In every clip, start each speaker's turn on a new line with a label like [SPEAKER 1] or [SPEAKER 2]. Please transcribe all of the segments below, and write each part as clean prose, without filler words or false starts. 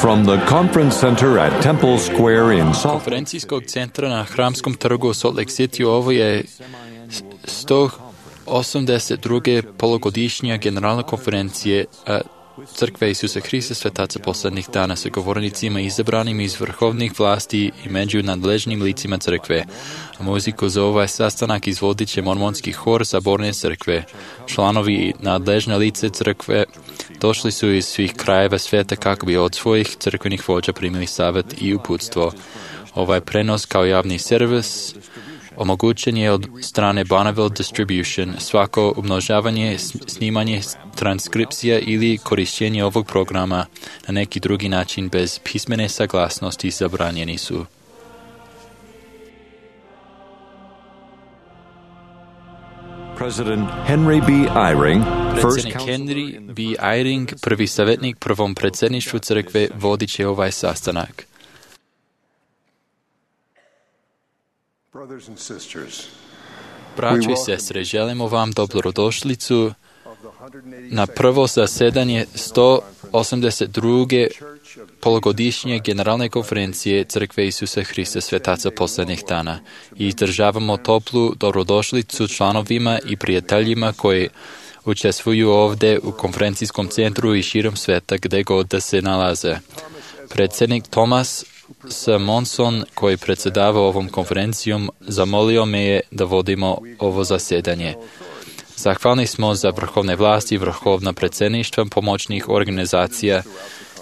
[SPEAKER 1] From the conference center at Temple Square in Salt Lake
[SPEAKER 2] konferencijskog centra na Hramskom trgu u Salt Lake City ovo je 182. polugodišnja generalna konferencija Crkve Isusa Hrista Svetaca poslednjih dana sa govornicima izabranim iz vrhovnih vlasti i među nadležnim licima crkve. A muziku za ovaj sastanak izvodit će mormonski hor Saborne crkve. Članovi i nadležne lice crkve došli su iz svih krajeva sveta kako bi od svojih crkvenih vođa primili savjet i uputstvo. Ovaj prenos kao javni servis omogućen je od strane Bonneville Distribution. Svako umnožavanje, snimanje, transkripcija ili korištenje ovog programa na neki drugi način bez pismene saglasnosti zabranjeni su.
[SPEAKER 1] President Henry B. Eyring,
[SPEAKER 2] Predsjednik Henry B. Eyring, prvi savjetnik prvom predsjedništvu crkve, vodit će ovaj sastanak. Braćo i sestre, želimo vam dobrodošlicu na prvo zasedanje 182. polugodišnje generalne konferencije Crkve Isusa Hrista Svetaca poslednjih dana i izdržavamo toplu dobrodošlicu članovima i prijateljima koji učestvuju ovdje u konferencijskom centru i širom sveta gde god da se nalaze. Predsjednik Thomas Monson, koji predsjedava ovom konferencijom, zamolio me je da vodimo ovo zasedanje. Zahvalni smo za vrhovne vlasti, vrhovna predsjedništva, pomoćnih organizacija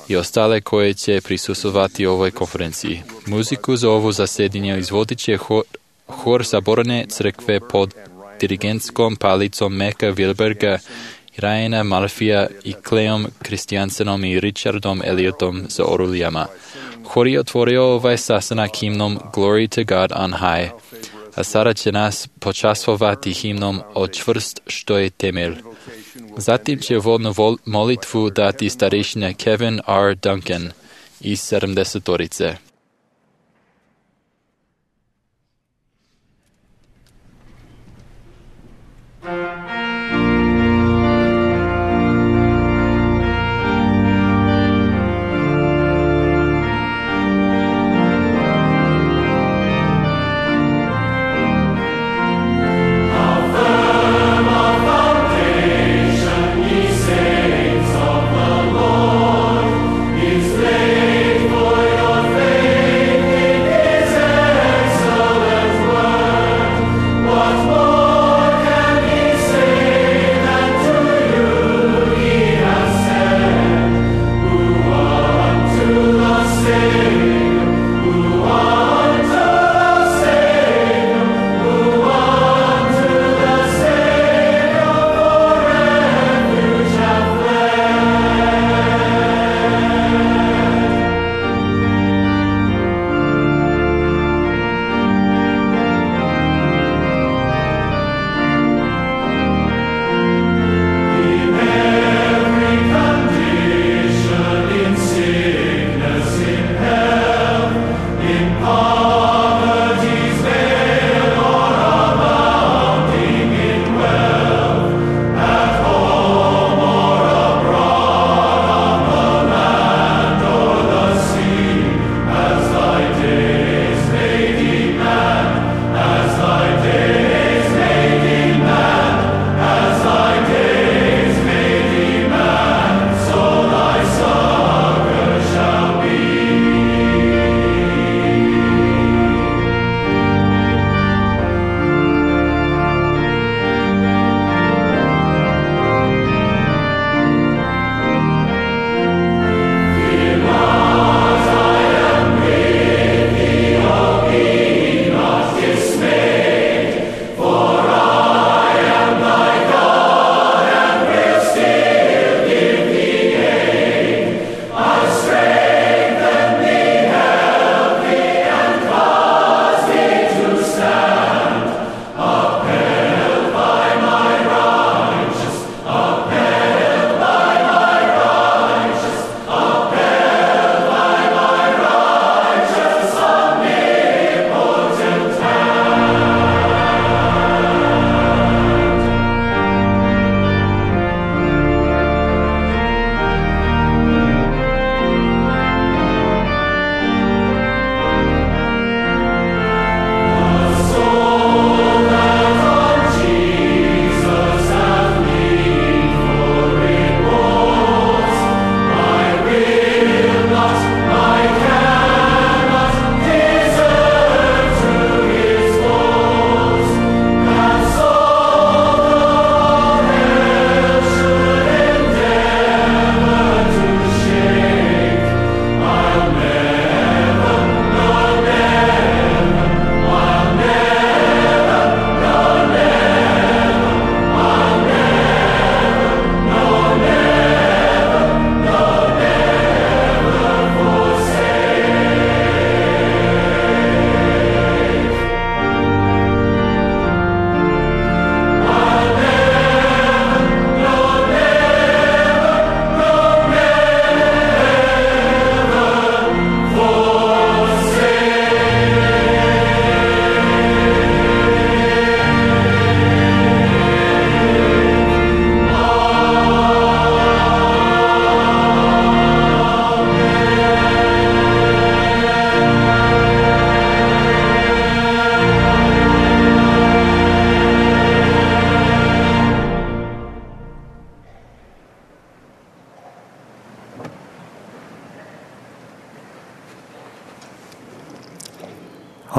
[SPEAKER 2] i ostale koje će prisustvovati ovoj konferenciji. Muziku za ovo zasedanje izvodit će hor Saborne crkve pod dirigentskom palicom Meka Wilberga, Ryana Murphyja i Cleom Christiansenom i Richardom Elliotom za orulijama. Hor je otvorio ovaj sastanak himnom Glory to God on High, a sada će nas počastvovati himnom O čvrst što je temelj. Zatim će uvodnu molitvu dati starešina Kevin R. Duncan iz 70-torice.
[SPEAKER 3] Faith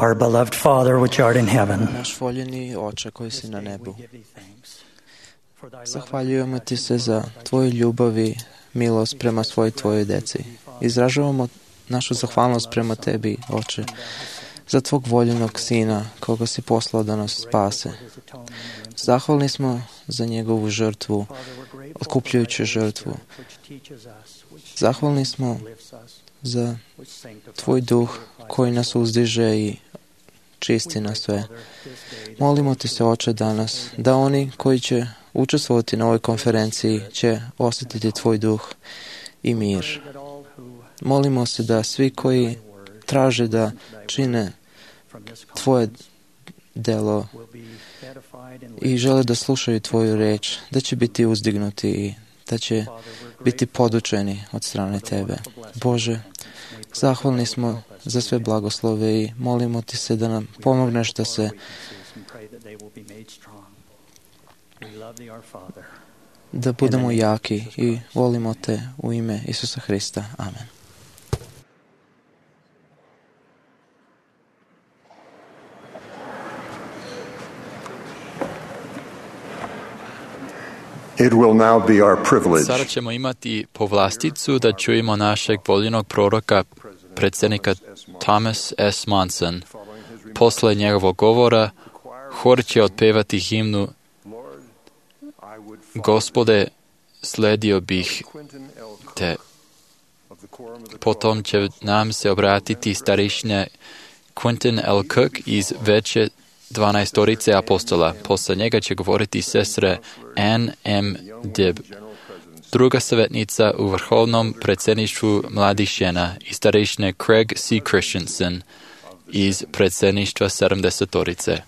[SPEAKER 3] Our beloved Father which art in heaven.
[SPEAKER 4] Naš voljeni Oče koji si na nebu, zahvaljujemo ti se za tvoju ljubav i milost prema tvojoj deci. Izražavamo našu zahvalnost prema tebi, Oče, za tvog voljenog Sina koga si poslao da nas spase. Zahvalni smo za njegovu žrtvu, otkupljujuću žrtvu. Zahvalni smo za tvoj duh koji nas uzdiže i čisti nas sve. Molimo ti se, Oče, danas, da oni koji će učestvovati na ovoj konferenciji će osjetiti tvoj duh i mir. Molimo se da svi koji traže da čine tvoje delo i žele da slušaju tvoju reč, da će biti uzdignuti i da će biti podučeni od strane tebe. Bože, zahvalni smo za sve blagoslove i molimo ti se da nam pomogneš da budemo jaki i volimo te u ime Isusa Hrista. Amen.
[SPEAKER 5] It will now be our privilege.
[SPEAKER 2] Sada ćemo imati povlasticu da čujemo našeg voljenog proroka, predsjednika Thomas S. Monson. Posle njegovog govora, hor će otpevati himnu Gospode, sledio bih te. Potom će nam se obratiti starešina Quentin L. Cook iz veće 12 apostola. Posle njega će govoriti sestre Ann M. Dibb, druga savjetnica u vrhovnom predsjedništvu mladih žena i starešine Craig C. Christensen iz predsjedništva 70.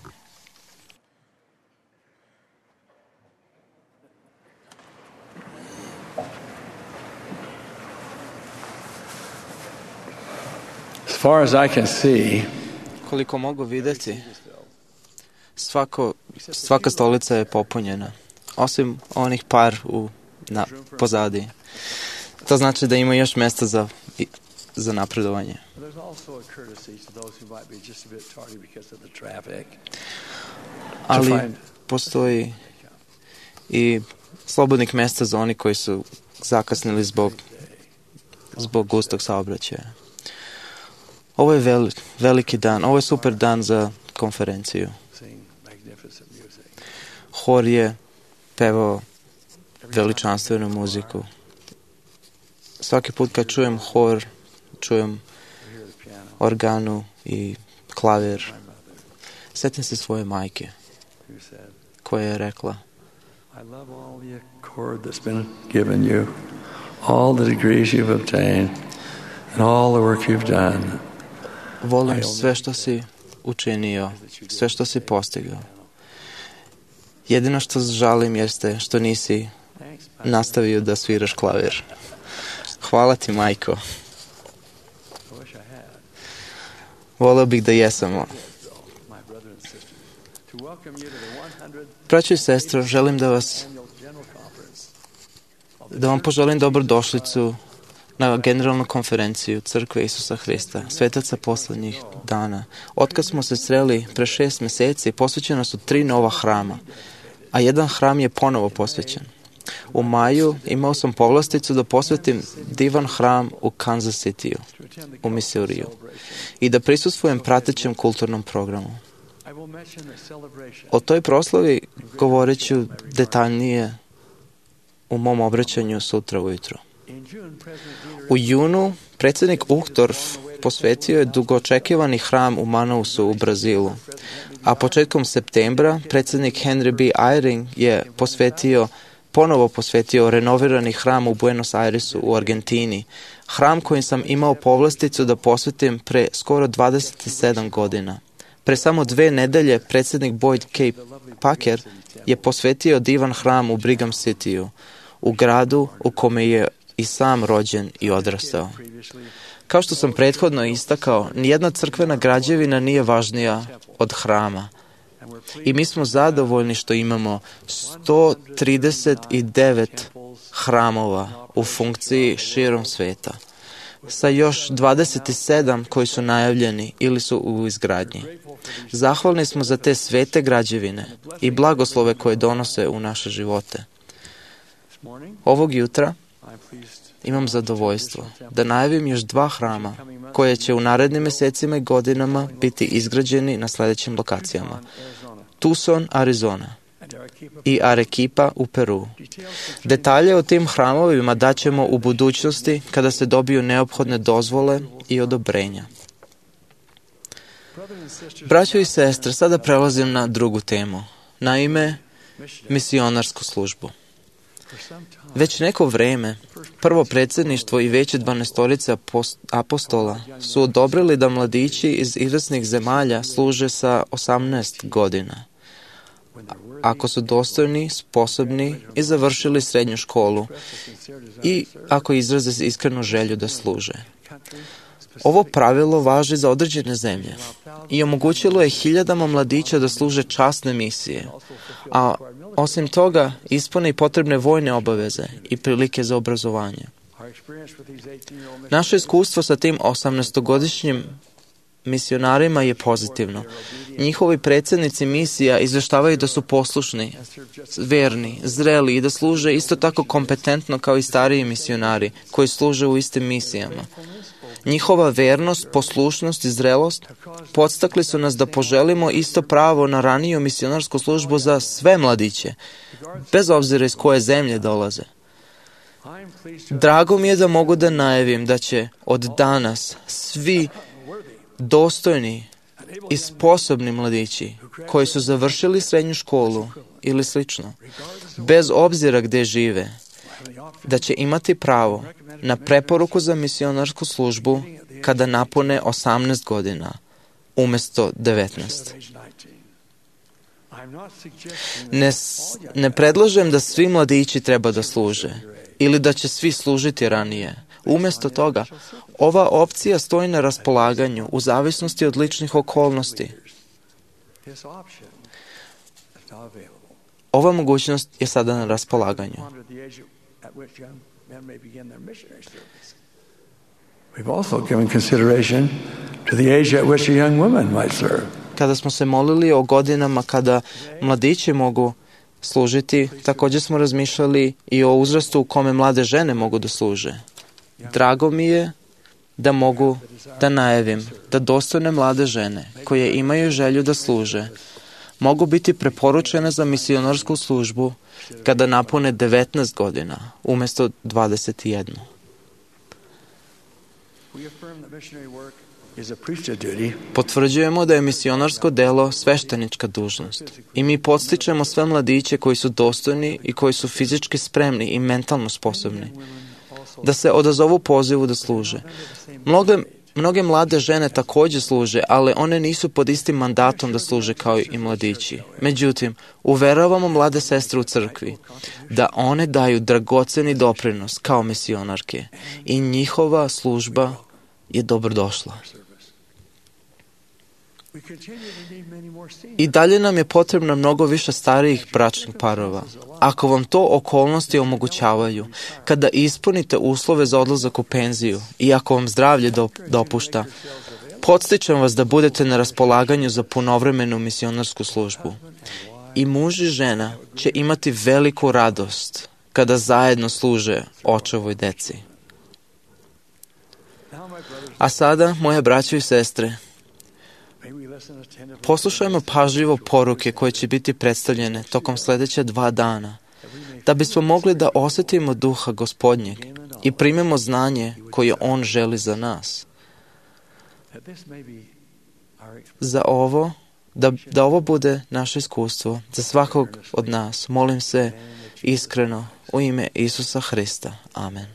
[SPEAKER 6] As far as I can see,
[SPEAKER 4] koliko mogu vidjeti, svaka stolica je popunjena, osim onih par pozadi. To znači da ima još mjesta za napredovanje. Ali postoji i slobodnih mjesta za oni koji su zakasnili zbog gustog saobraćaja. Ovo je veliki dan, ovo je super dan za konferenciju. Hor je pevao veličanstvenu muziku. Svaki put kad čujem hor, čujem organu i klavir. Sjetim se svoje majke koja je rekla:
[SPEAKER 6] I love all the accord that's been given you, all the degrees you've obtained, and all the work you've done.
[SPEAKER 4] Volim sve što si učinio, sve što si postigao. Jedino što žalim jeste što nisi nastavio da sviraš klavir. Hvala ti, majko. Voleo bih da jesam. Braćo i sestro, želim da vam poželim dobrodošlicu na generalnu konferenciju Crkve Isusa Hrista, svetaca poslednjih dana. Otkad smo se sreli pre 6 mjeseci, posvećena su 3 nova hrama, a jedan hram je ponovo posvećen. U maju imao sam povlasticu da posvetim divan hram u Kansas Cityu, u Missouriju, i da prisustvujem pratećem kulturnom programu. O toj proslavi govorit ću detaljnije u mom obraćanju sutra ujutro. U junu predsjednik Uchtdorf posvetio je dugoočekivani hram u Manausu u Brazilu, a početkom septembra predsjednik Henry B. Eyring je ponovo posvetio renovirani hram u Buenos Airesu u Argentini, hram kojim sam imao povlasticu da posvetim pre skoro 27 godina. Pre samo 2 nedelje predsjednik Boyd K. Packer je posvetio divan hram u Brigham Cityu, u gradu u kome je i sam rođen i odrastao. Kao što sam prethodno istakao, nijedna crkvena građevina nije važnija od hrama. I mi smo zadovoljni što imamo 139 hramova u funkciji širom sveta. sa još 27 koji su najavljeni ili su u izgradnji. Zahvalni smo za te svete građevine i blagoslove koje donose u naše živote. Ovog jutra imam zadovoljstvo da najavim još 2 hrama koje će u narednim mesecima i godinama biti izgrađeni na sljedećim lokacijama. Tucson, Arizona i Arequipa u Peru. Detalje o tim hramovima daćemo u budućnosti kada se dobiju neophodne dozvole i odobrenja. Braćo i sestre, sada prelazim na drugu temu. Naime, misionarsku službu. Već neko vreme, prvo predsjedništvo i veće 12 apostola su odobrili da mladići iz izvesnih zemalja služe sa 18 godina. Ako su dostojni, sposobni i završili srednju školu i ako izraze iskrenu želju da služe. Ovo pravilo važi za određene zemlje i omogućilo je hiljadama mladića da služe časne misije, a osim toga ispune i potrebne vojne obaveze i prilike za obrazovanje. Naše iskustvo sa tim 18-godišnjim misionarima je pozitivno. Njihovi predsjednici misija izveštavaju da su poslušni, verni, zreli i da služe isto tako kompetentno kao i stariji misionari koji služe u istim misijama. Njihova vernost, poslušnost i zrelost podstakli su nas da poželimo isto pravo na raniju misionarsku službu za sve mladiće, bez obzira iz koje zemlje dolaze. Drago mi je da mogu da najavim da će od danas svi dostojni i sposobni mladići koji su završili srednju školu ili slično, bez obzira gdje žive, da će imati pravo na preporuku za misionarsku službu kada napune 18 godina, umjesto 19. Ne predlažem da svi mladići treba da služe ili da će svi služiti ranije. Umjesto toga, ova opcija stoji na raspolaganju u zavisnosti od ličnih okolnosti. Ova mogućnost je sada na raspolaganju.
[SPEAKER 6] We've also given consideration to the age at which a young woman might serve.
[SPEAKER 4] Kada smo se molili o godinama kada mladići mogu služiti, također smo razmišljali i o uzrastu u kome mlade žene mogu da služe. Drago mi je da mogu da najavim da dostojne mlade žene koje imaju želju da služe mogu biti preporučene za misionarsku službu kada napune 19 godina umjesto 21. Potvrđujemo da je misionarsko delo sveštenička dužnost i mi podstičemo sve mladiće koji su dostojni i koji su fizički spremni i mentalno sposobni da se odazovu pozivu da služe. Mnoge mlade žene također služe, ali one nisu pod istim mandatom da služe kao i mladići. Međutim, uveravamo mlade sestre u crkvi da one daju dragoceni doprinos kao misionarke i njihova služba je dobrodošla. I dalje nam je potrebno mnogo više starijih bračnih parova. Ako vam to okolnosti omogućavaju, kada ispunite uslove za odlazak u penziju i ako vam zdravlje dopušta, podstičem vas da budete na raspolaganju za punovremenu misionarsku službu. I muž i žena će imati veliku radost kada zajedno služe očevoj deci. A sada, moje braćo i sestre, poslušajmo pažljivo poruke koje će biti predstavljene tokom sljedeća 2 dana, da bismo mogli da osjetimo duha Gospodnjeg i primemo znanje koje On želi za nas. Za ovo, da ovo bude naše iskustvo, za svakog od nas, molim se iskreno u ime Isusa Hrista. Amen.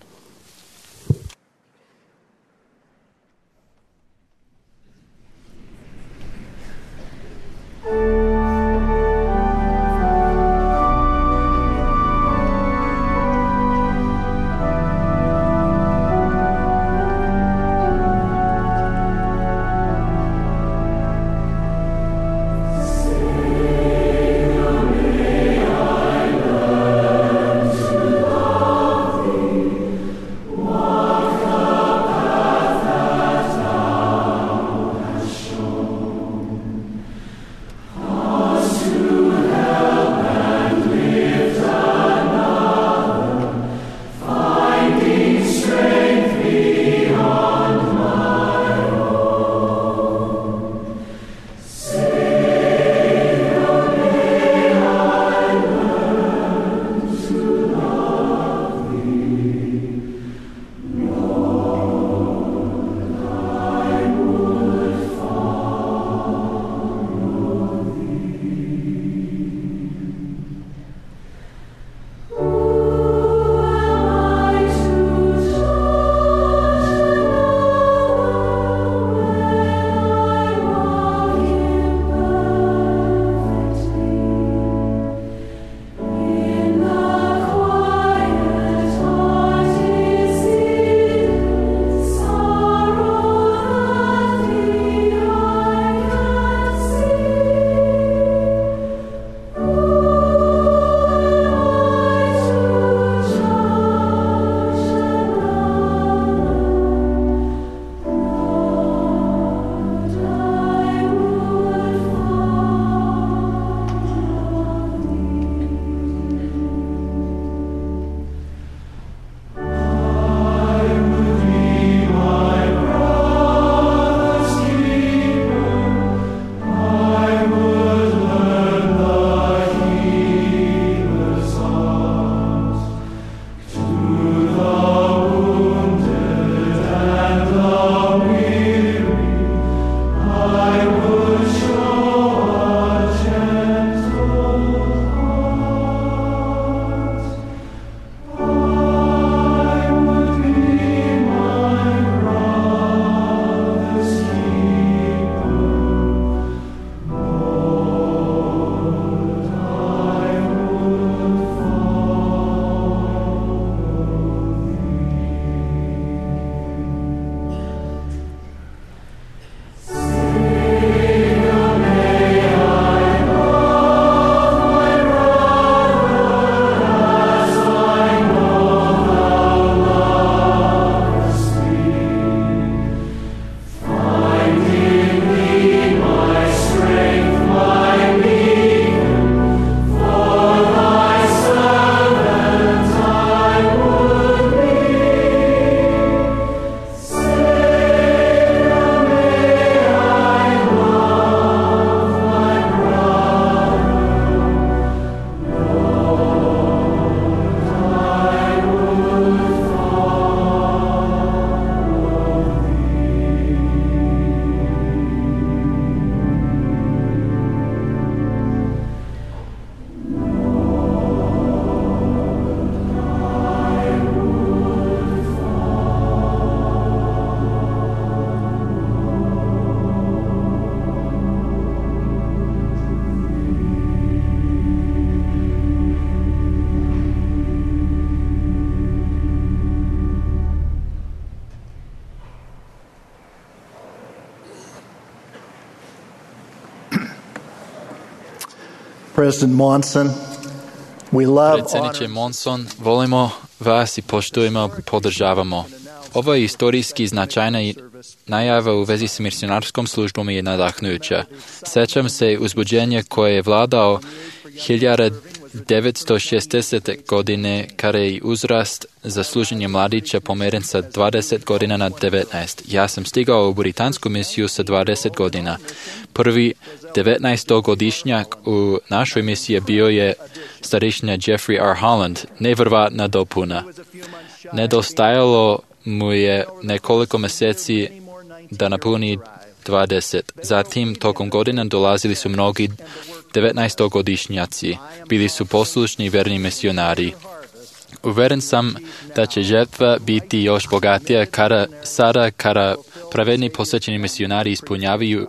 [SPEAKER 7] President Monson, we love,
[SPEAKER 2] Predsjedniče Monson, volimo vas i poštujemo, podržavamo. Ovo je istorijski značajna najava u vezi s misionarskom službom je nadahnujuća. Sećam se uzbuđenja koje je vladao 1960. godine, kada je uzrast za služenje mladića pomeren sa 20 godina na 19. Ja sam stigao u britansku misiju sa 20 godina. Prvi 19-godišnjak u našoj misiji bio je starešina Jeffrey R. Holland, nevjerovatna dopuna. Nedostajalo mu je nekoliko mjeseci da napuni 20. Zatim, tokom godina dolazili su mnogi 19-godišnjaci. Bili su poslušni i verni misionari. Uveren sam da će žetva biti još bogatija kada pravedni posvećeni misionari ispunjavaju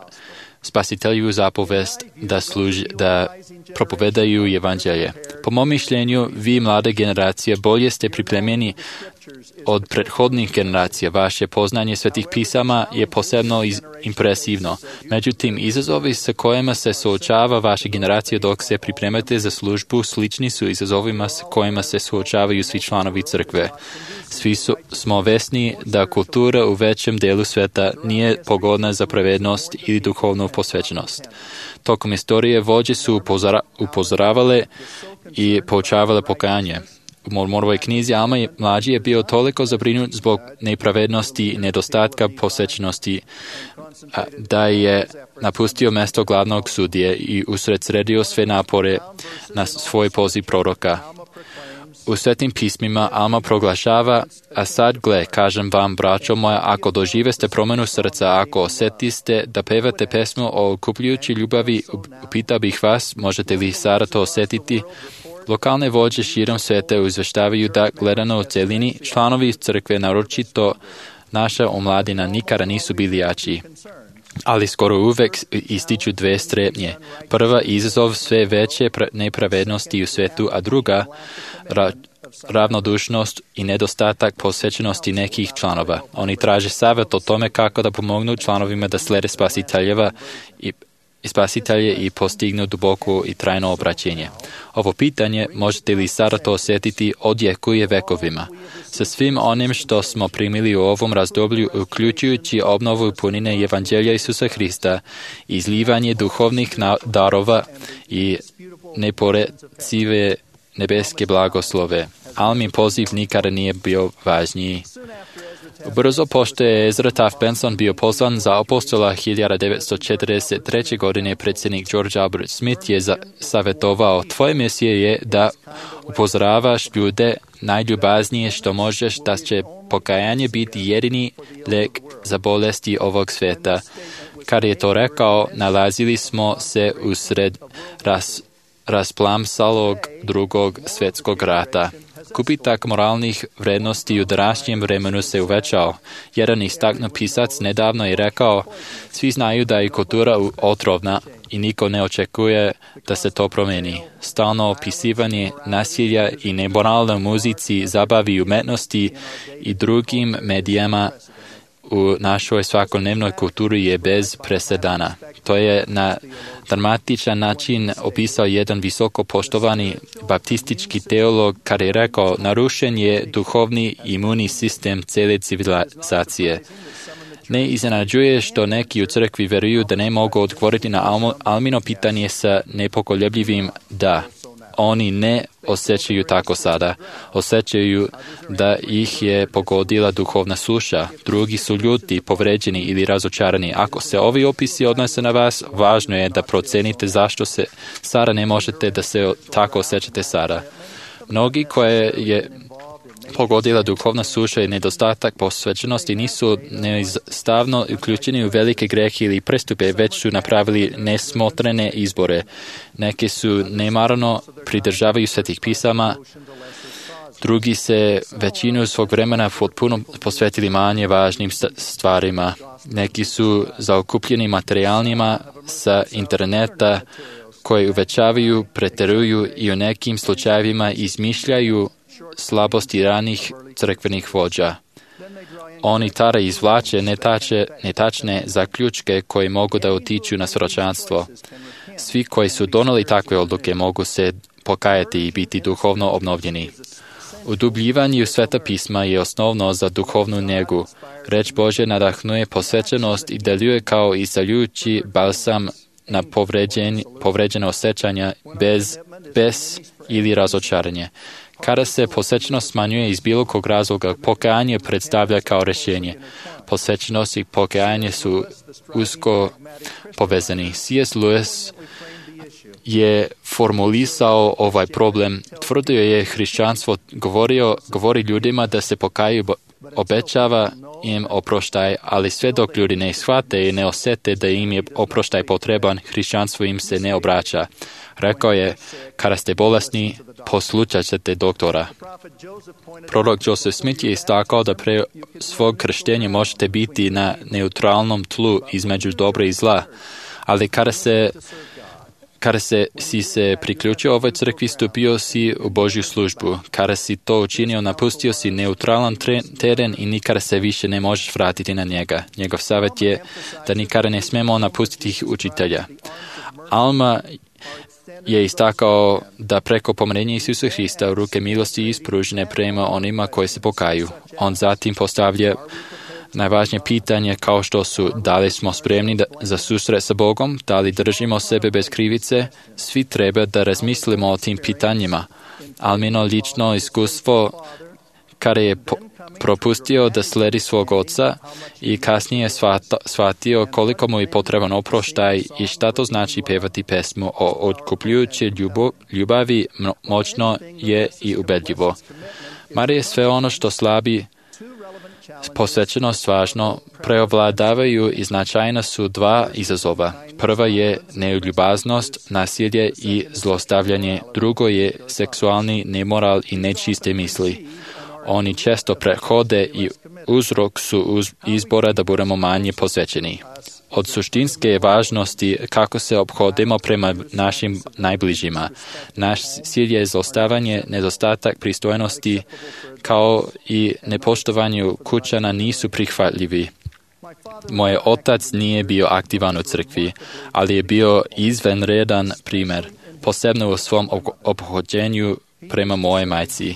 [SPEAKER 2] spasitelju zapovest da propovedaju evanđelje. Po mom mišljenju, vi mlade generacije bolje ste pripremljeni od prethodnih generacija. Vaše poznanje svetih pisama je posebno impresivno. Međutim, izazovi sa kojima se suočava vaša generacija dok se pripremate za službu slični su izazovima sa kojima se suočavaju svi članovi crkve. Svi smo vesni da kultura u većem delu sveta nije pogodna za pravednost ili duhovnu posvećenost. Tokom istorije vođe su upozoravale i poučavale pokajanje. U Mormonovoj knjizi Alma mlađi je bio toliko zabrinut zbog nepravednosti i nedostatka posvećenosti da je napustio mjesto glavnog sudije i usredsredio sve napore na svoj poziv proroka. U svetim pismima Alma proglašava, a sad gle, kažem vam, braćo moja, ako doživeste promjenu srca, ako osjetiste da pevate pesmu o okupljujući ljubavi, upitao bih vas, možete li sada to osjetiti? Lokalne vođe širom sveta izvještavaju da, gledano u celini, članovi crkve, naročito naša omladina, nikada nisu bili jači. Ali skoro uvek ističu dve strepnje. Prva, izazov sve veće nepravednosti u svetu, a druga, ravnodušnost i nedostatak posvećenosti nekih članova. Oni traže savjet o tome kako da pomognu članovima da slede spasitelje i postignu duboko i trajno obraćenje. Ovo pitanje, možete li sada to osjetiti, odjekuje vekovima. Sa svim onim što smo primili u ovom razdoblju, uključujući obnovu punine evanđelja Isusa Hrista, izlivanje duhovnih darova i neporecive nebeske blagoslove. Almin poziv nikada nije bio važniji. Brzo pošto je Ezra Taft Benson bio pozvan za apostola 1943. godine, predsjednik George Albert Smith je savjetovao: tvoje misije je da upozoravaš ljude najljubaznije što možeš, da će pokajanje biti jedini lijek za bolesti ovog svijeta. Kad je to rekao, nalazili smo se usred rasplamsalog drugog svjetskog rata. Gubitak moralnih vrednosti u današnjem vremenu se uvećao. Jedan istaknut pisac nedavno je rekao: svi znaju da je kultura otrovna i niko ne očekuje da se to promijeni. Stalno opisivanje nasilja i nemoralne muzici, zabavi i umetnosti i drugim medijama u našoj svakodnevnoj kulturi je bez presedana. To je na dramatičan način opisao jedan visoko poštovani baptistički teolog kada je rekao: narušen je duhovni imunni sistem cijele civilizacije. Ne iznenađuje što neki u crkvi vjeruju da ne mogu odgovoriti na Almino pitanje sa nepokoljebljivim da. Oni ne osjećaju tako sada. Osjećaju da ih je pogodila duhovna suša. Drugi su ljuti, povređeni ili razočarani. Ako se ovi opisi odnose na vas, važno je da procenite zašto se sada ne možete da se tako osjećate sada. Mnogi koje je pogodila duhovna suša i nedostatak posvećenosti nisu neizostavno uključeni u velike grehe ili prestupe, već su napravili nesmotrene izbore. Neki su nemarno pridržavaju svetih pisama, drugi se većinu svog vremena potpuno posvetili manje važnim stvarima. Neki su zaokupljeni materijalnima sa interneta koji uvećavaju, pretjeruju i u nekim slučajevima izmišljaju slabosti ranih crkvenih vođa. Oni tada izvlače netačne zaključke koji mogu da utiču na svjedočanstvo. Svi koji su doneli takve odluke mogu se pokajati i biti duhovno obnovljeni. Udubljivanje Sveta pisma je osnovno za duhovnu njegu. Reč Božja nadahnuje posvećenost i deluje kao isceljujući balsam na povređene osjećanja bez ili razočaranje. Kada se posvećenost smanjuje iz bilo kog razloga, pokajanje predstavlja kao rješenje. Posvećenost i pokajanje su usko povezani. C.S. Lewis je formulisao ovaj problem. Tvrdio je hrišćanstvo govori ljudima da se pokaju, obećava im oproštaj, ali sve dok ljudi ne shvate i ne osjete da im je oproštaj potreban, hrišćanstvo im se ne obraća. Rekao je, kada ste bolesni, poslušat ćete doktora. Prorok Joseph Smith je istakao da pre svog krštenja možete biti na neutralnom tlu između dobra i zla, ali kada si se priključio ovoj crkvi, stupio si u Božju službu. Kada si to učinio, napustio si neutralan teren i nikada se više ne možeš vratiti na njega. Njegov savjet je da nikada ne smemo napustiti učitelja. Alma je istakao da preko pomirenja Isusa Hrista ruke milosti ispružene prema onima koji se pokaju. On zatim postavlja najvažnije pitanje kao što su da li smo spremni za susret sa Bogom, da li držimo sebe bez krivice. Svi treba da razmislimo o tim pitanjima. Almino lično iskustvo kada je propustio da sledi svog oca i kasnije shvatio koliko mu je potreban oproštaj i šta to znači pevati pesmu o otkupljujućoj ljubavi, moćno je i ubedljivo. Marije sve ono što slabi posvećenost važno, preovladavaju i značajna su dva izazova. Prva je neljubaznost, nasilje i zlostavljanje. Drugo je seksualni nemoral i nečiste misli. Oni često prehode i uzrok su izbora da budemo manje posvećeni. Od suštinske važnosti kako se ophodimo prema našim najbližima. Naš cilj je zlostavljanje, nedostatak pristojnosti, kao i nepoštovanje kućana nisu prihvatljivi. Moj otac nije bio aktivan u crkvi, ali je bio izvanredan primjer, posebno u svom ophođenju prema moje majci.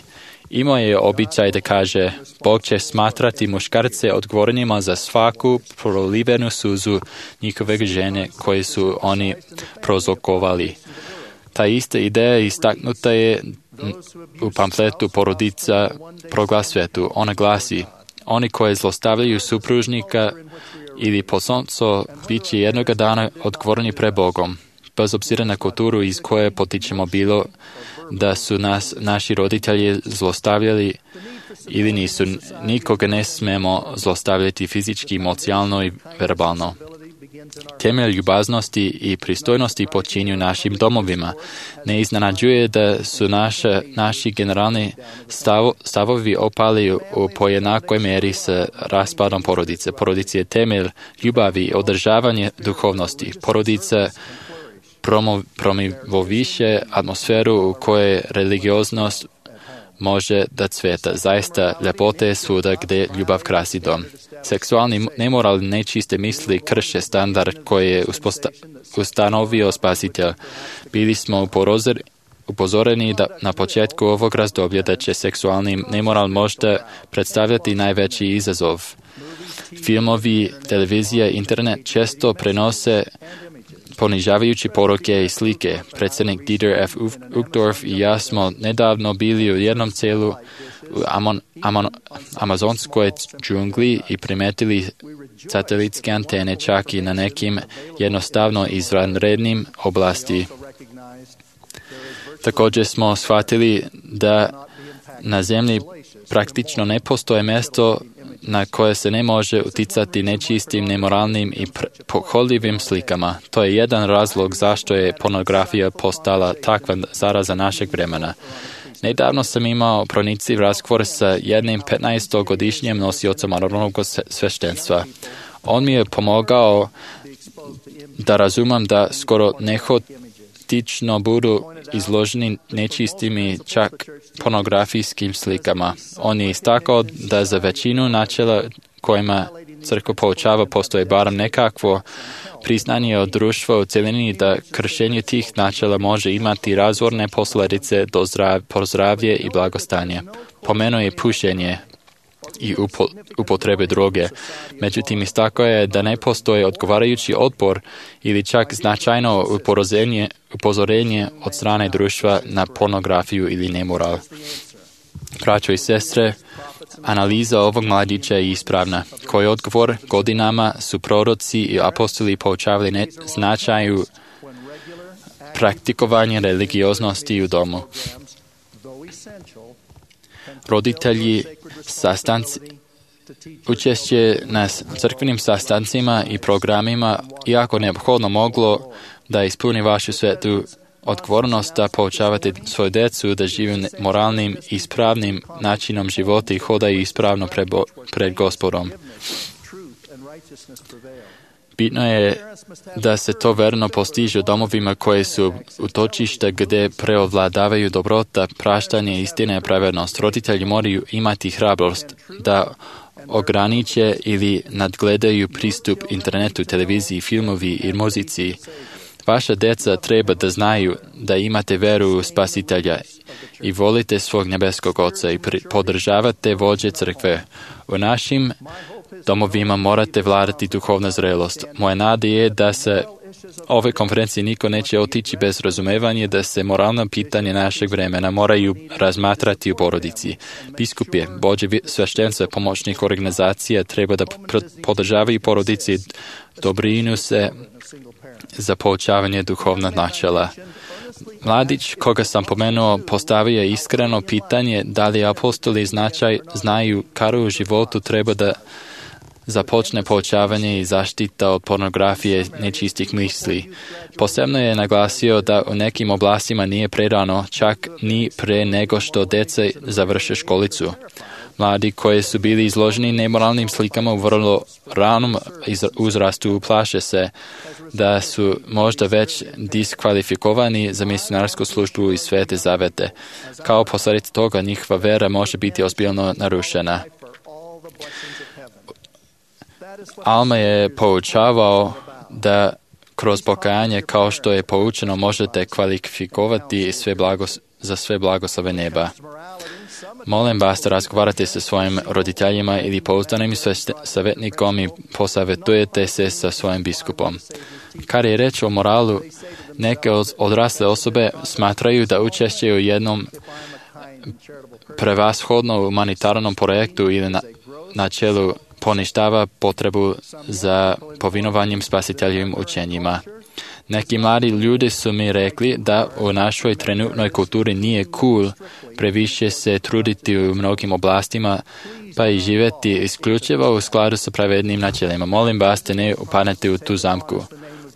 [SPEAKER 2] Imao je običaj da kaže, Bog će smatrati muškarce odgovornima za svaku prolivenu suzu njihove žene koje su oni prozrokovali. Ta ista ideja istaknuta je u pamfletu Porodica proglas svetu. Ona glasi, oni koji zlostavljaju supružnika ili potomstvo bit će jednoga dana odgovorni pred Bogom. Bez obzira na kulturu iz koje potičemo, bilo da su naši roditelji zlostavljali ili nisu, nikoga ne smemo zlostavljati fizički, emocionalno i verbalno. Temelj ljubaznosti i pristojnosti počinju našim domovima. Ne iznenađuje da su naši generalni stavovi opali u pojednakoj meri sa raspadom porodice. Porodica je temelj ljubavi i održavanje duhovnosti. Porodica promoviše atmosferu u kojoj religioznost može da cveta. Zaista, ljepota je svuda gdje ljubav krasi dom. Seksualni nemoral i nečiste misli krše standard koji je ustanovio Spasitelj. Bili smo upozoreni na početku ovog razdoblja da će seksualni nemoral možda predstavljati najveći izazov. Filmovi, televizija, internet često prenose ponižavajući poruke i slike. Predsjednik Dieter F. Uchtdorf i ja smo nedavno bili u jednom celu u amazonskoj džungli i primetili satelitske antene čak i na nekim jednostavno izvanrednim oblasti. Također smo shvatili da na zemlji praktično ne postoje mjesto na koje se ne može uticati nečistim, nemoralnim i pohodljivim slikama. To je jedan razlog zašto je pornografija postala takva zaraza našeg vremena. Nedavno sam imao pronici razgovor sa jednim 15-godišnjim nosiocem anonimnog sveštenstva. On mi je pomogao da razumem da skoro nehotično budu izloženi nečistim i čak pornografijskim slikama. On je istakao da za većinu načela kojima crkva poučava postoji barem nekakvo Priznanje od društva u cjelini da kršenje tih načela može imati razorne posljedice po zdravlje i blagostanje. Pomenuo je pušenje i upotrebe droge. Međutim, istakao je da ne postoji odgovarajući otpor ili čak značajno upozorenje od strane društva na pornografiju ili nemoral. Braćo i sestre, analiza ovog mladića je ispravna. Koji odgovor godinama su proroci i apostoli poučavali značaju praktikovanja religioznosti u domu. Roditelji učešće na crkvenim sastancima i programima, iako neophodno moglo da ispuni vašu svetu odgovornost da poučavate svoju djecu da žive moralnim i ispravnim načinom života i hodaju ispravno pred Gospodom. Bitno je da se to verno postiže u domovima koje su utočište gdje preovladavaju dobrota, praštanje, istina i pravednost. Roditelji moraju imati hrabrost da ograniče ili nadgledaju pristup internetu, televiziji, filmovi i muzici. Vaša djeca treba da znaju da imate veru u Spasitelja i volite svog nebeskog Oca i podržavate vođe crkve. U našim domovima morate vladati duhovna zrelost. Moja nada je da se ove konferencije niko neće otići bez razumevanja da se moralna pitanja našeg vremena moraju razmatrati u porodici. Biskupi, vođe sveštenstva, pomoćnih organizacija treba da podržavaju porodici, dobrinu se za poučavanje duhovnog načela. Mladić, koga sam pomenuo, postavio je iskreno pitanje da li apostoli znaju kada u životu treba da započne poučavanje i zaštita od pornografije nečistih misli. Posebno je naglasio da u nekim oblastima nije prerano, čak ni pre nego što djeca završe školicu. Mladi koji su bili izloženi nemoralnim slikama u vrlo ranom uzrastu plaše se da su možda već diskvalifikovani za misionarsku službu i svete zavete. Kao posljedica toga njihova vera može biti ozbiljno narušena. Alma je poučavao da kroz pokajanje kao što je poučeno možete kvalifikovati za sve blagoslove neba. Molim vas da razgovarate sa svojim roditeljima ili pouzdanim savjetnikom i posavjetujete se sa svojim biskupom. Kad je reč o moralu, neke odrasle osobe smatraju da učešće u jednom prevashodno humanitarnom projektu ili načelu poništava potrebu za povinovanjem spasiteljevim učenjima. Neki mladi ljudi su mi rekli da u našoj trenutnoj kulturi nije cool previše se truditi u mnogim oblastima pa i živjeti isključivo u skladu sa pravednim načelima. Molim vas da ne upadnete u tu zamku.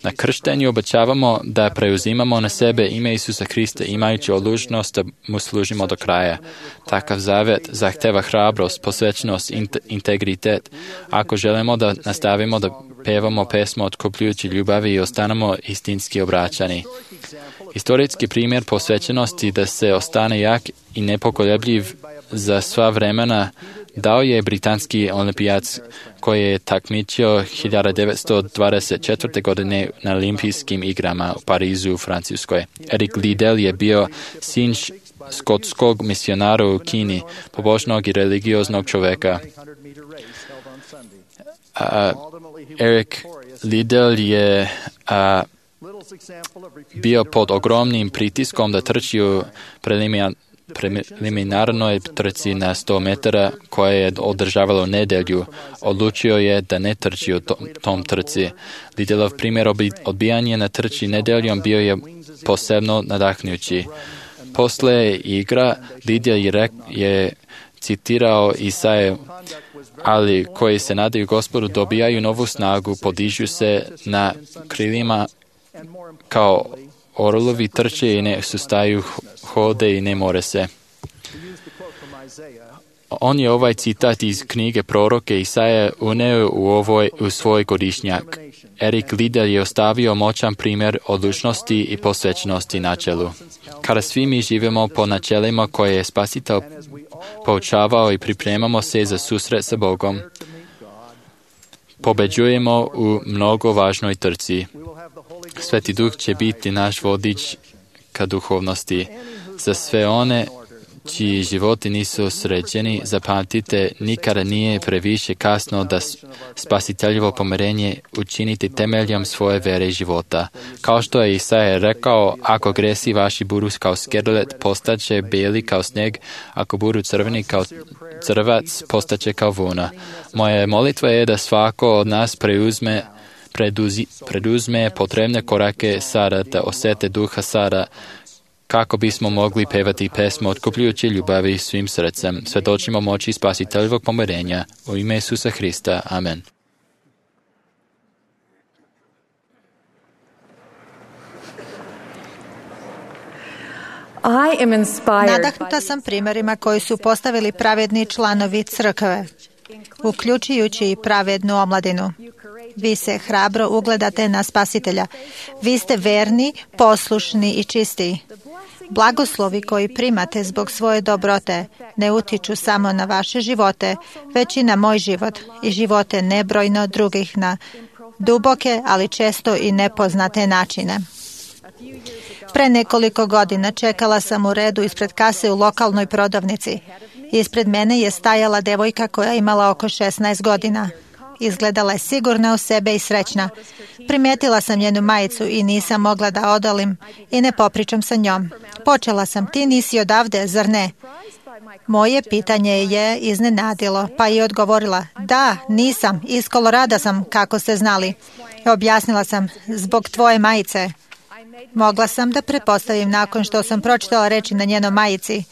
[SPEAKER 2] Na krštenju obećavamo da preuzimamo na sebe ime Isusa Hrista imajući odlučnost da mu služimo do kraja. Takav zavet zahteva hrabrost, posvećenost, integritet. Ako želimo da nastavimo da pevamo pesmu otkupljujući ljubavi i ostanemo istinski obraćani. Historijski primjer posvećenosti da se ostane jak i nepokolebljiv za sva vremena dao je britanski olimpijac koji je takmičio 1924. godine na olimpijskim igrama u Parizu u Francuskoj. Eric Liddell je bio sin skotskog misionara u Kini, pobožnog i religioznog čovjeka. Eric Liddell je bio pod ogromnim pritiskom da trči u preliminarnoj trci na 100 metara koja je održavala nedjelju. Odlučio je da ne trči u tom trci. Liddellov primjer odbijanja na trči nedjeljom bio je posebno nadahnujući. Posle igra Liddell je citirao Isaiju, ali koji se nadaju Gospodu dobijaju novu snagu, podižu se na krilima kao orlovi, trče i ne sustaju, hode i ne more se. On je ovaj citat iz knjige proroke Isaije uneo u svoj godišnjak. Eric Liddell je ostavio moćan primjer odlučnosti i posvećenosti načelu. Kada svi mi živimo po načelima koje je Spasitelj poučavao i pripremamo se za susret sa Bogom, pobeđujemo u mnogo važnoj trci. Sveti Duh će biti naš vodič ka duhovnosti. Za sve one čiji životi nisu sređeni, zapamtite, nikada nije previše kasno da spasiteljevo pomirenje učiniti temeljom svoje vere i života. Kao što je Isaija rekao, ako gresi vaši budu kao skelet, postaće beli kao snijeg, ako budu crveni kao crvac, postaće kao vuna. Moja molitva je da svako od nas preduzme potrebne korake sada, da osjete duha sada, kako bismo mogli pevati pesmu otkupljujući ljubavi svim srcem. Svjedočimo moći spasiteljevog pomirenja. U ime Isusa Hrista. Amen.
[SPEAKER 8] Nadahnuta sam primjerima koji su postavili pravedni članovi crkve, uključujući i pravednu omladinu. Vi se hrabro ugledate na Spasitelja. Vi ste verni, poslušni i čisti. Blagoslovi koji primate zbog svoje dobrote ne utiču samo na vaše živote, već i na moj život i živote nebrojno drugih na duboke, ali često i nepoznate načine. Pre nekoliko godina čekala sam u redu ispred kase u lokalnoj prodavnici. Ispred mene je stajala devojka koja je imala oko 16 godina. Izgledala je sigurna u sebe i srećna. Primijetila sam njenu majicu i nisam mogla da odolim i ne popričam sa njom. Počela sam, ti nisi odavde, zar ne? Moje pitanje je iznenadilo, pa je odgovorila, da, nisam, iz Kolorada sam, kako ste znali. Objasnila sam, zbog tvoje majice. Mogla sam da pretpostavim nakon što sam pročitala reči na njenoj majici.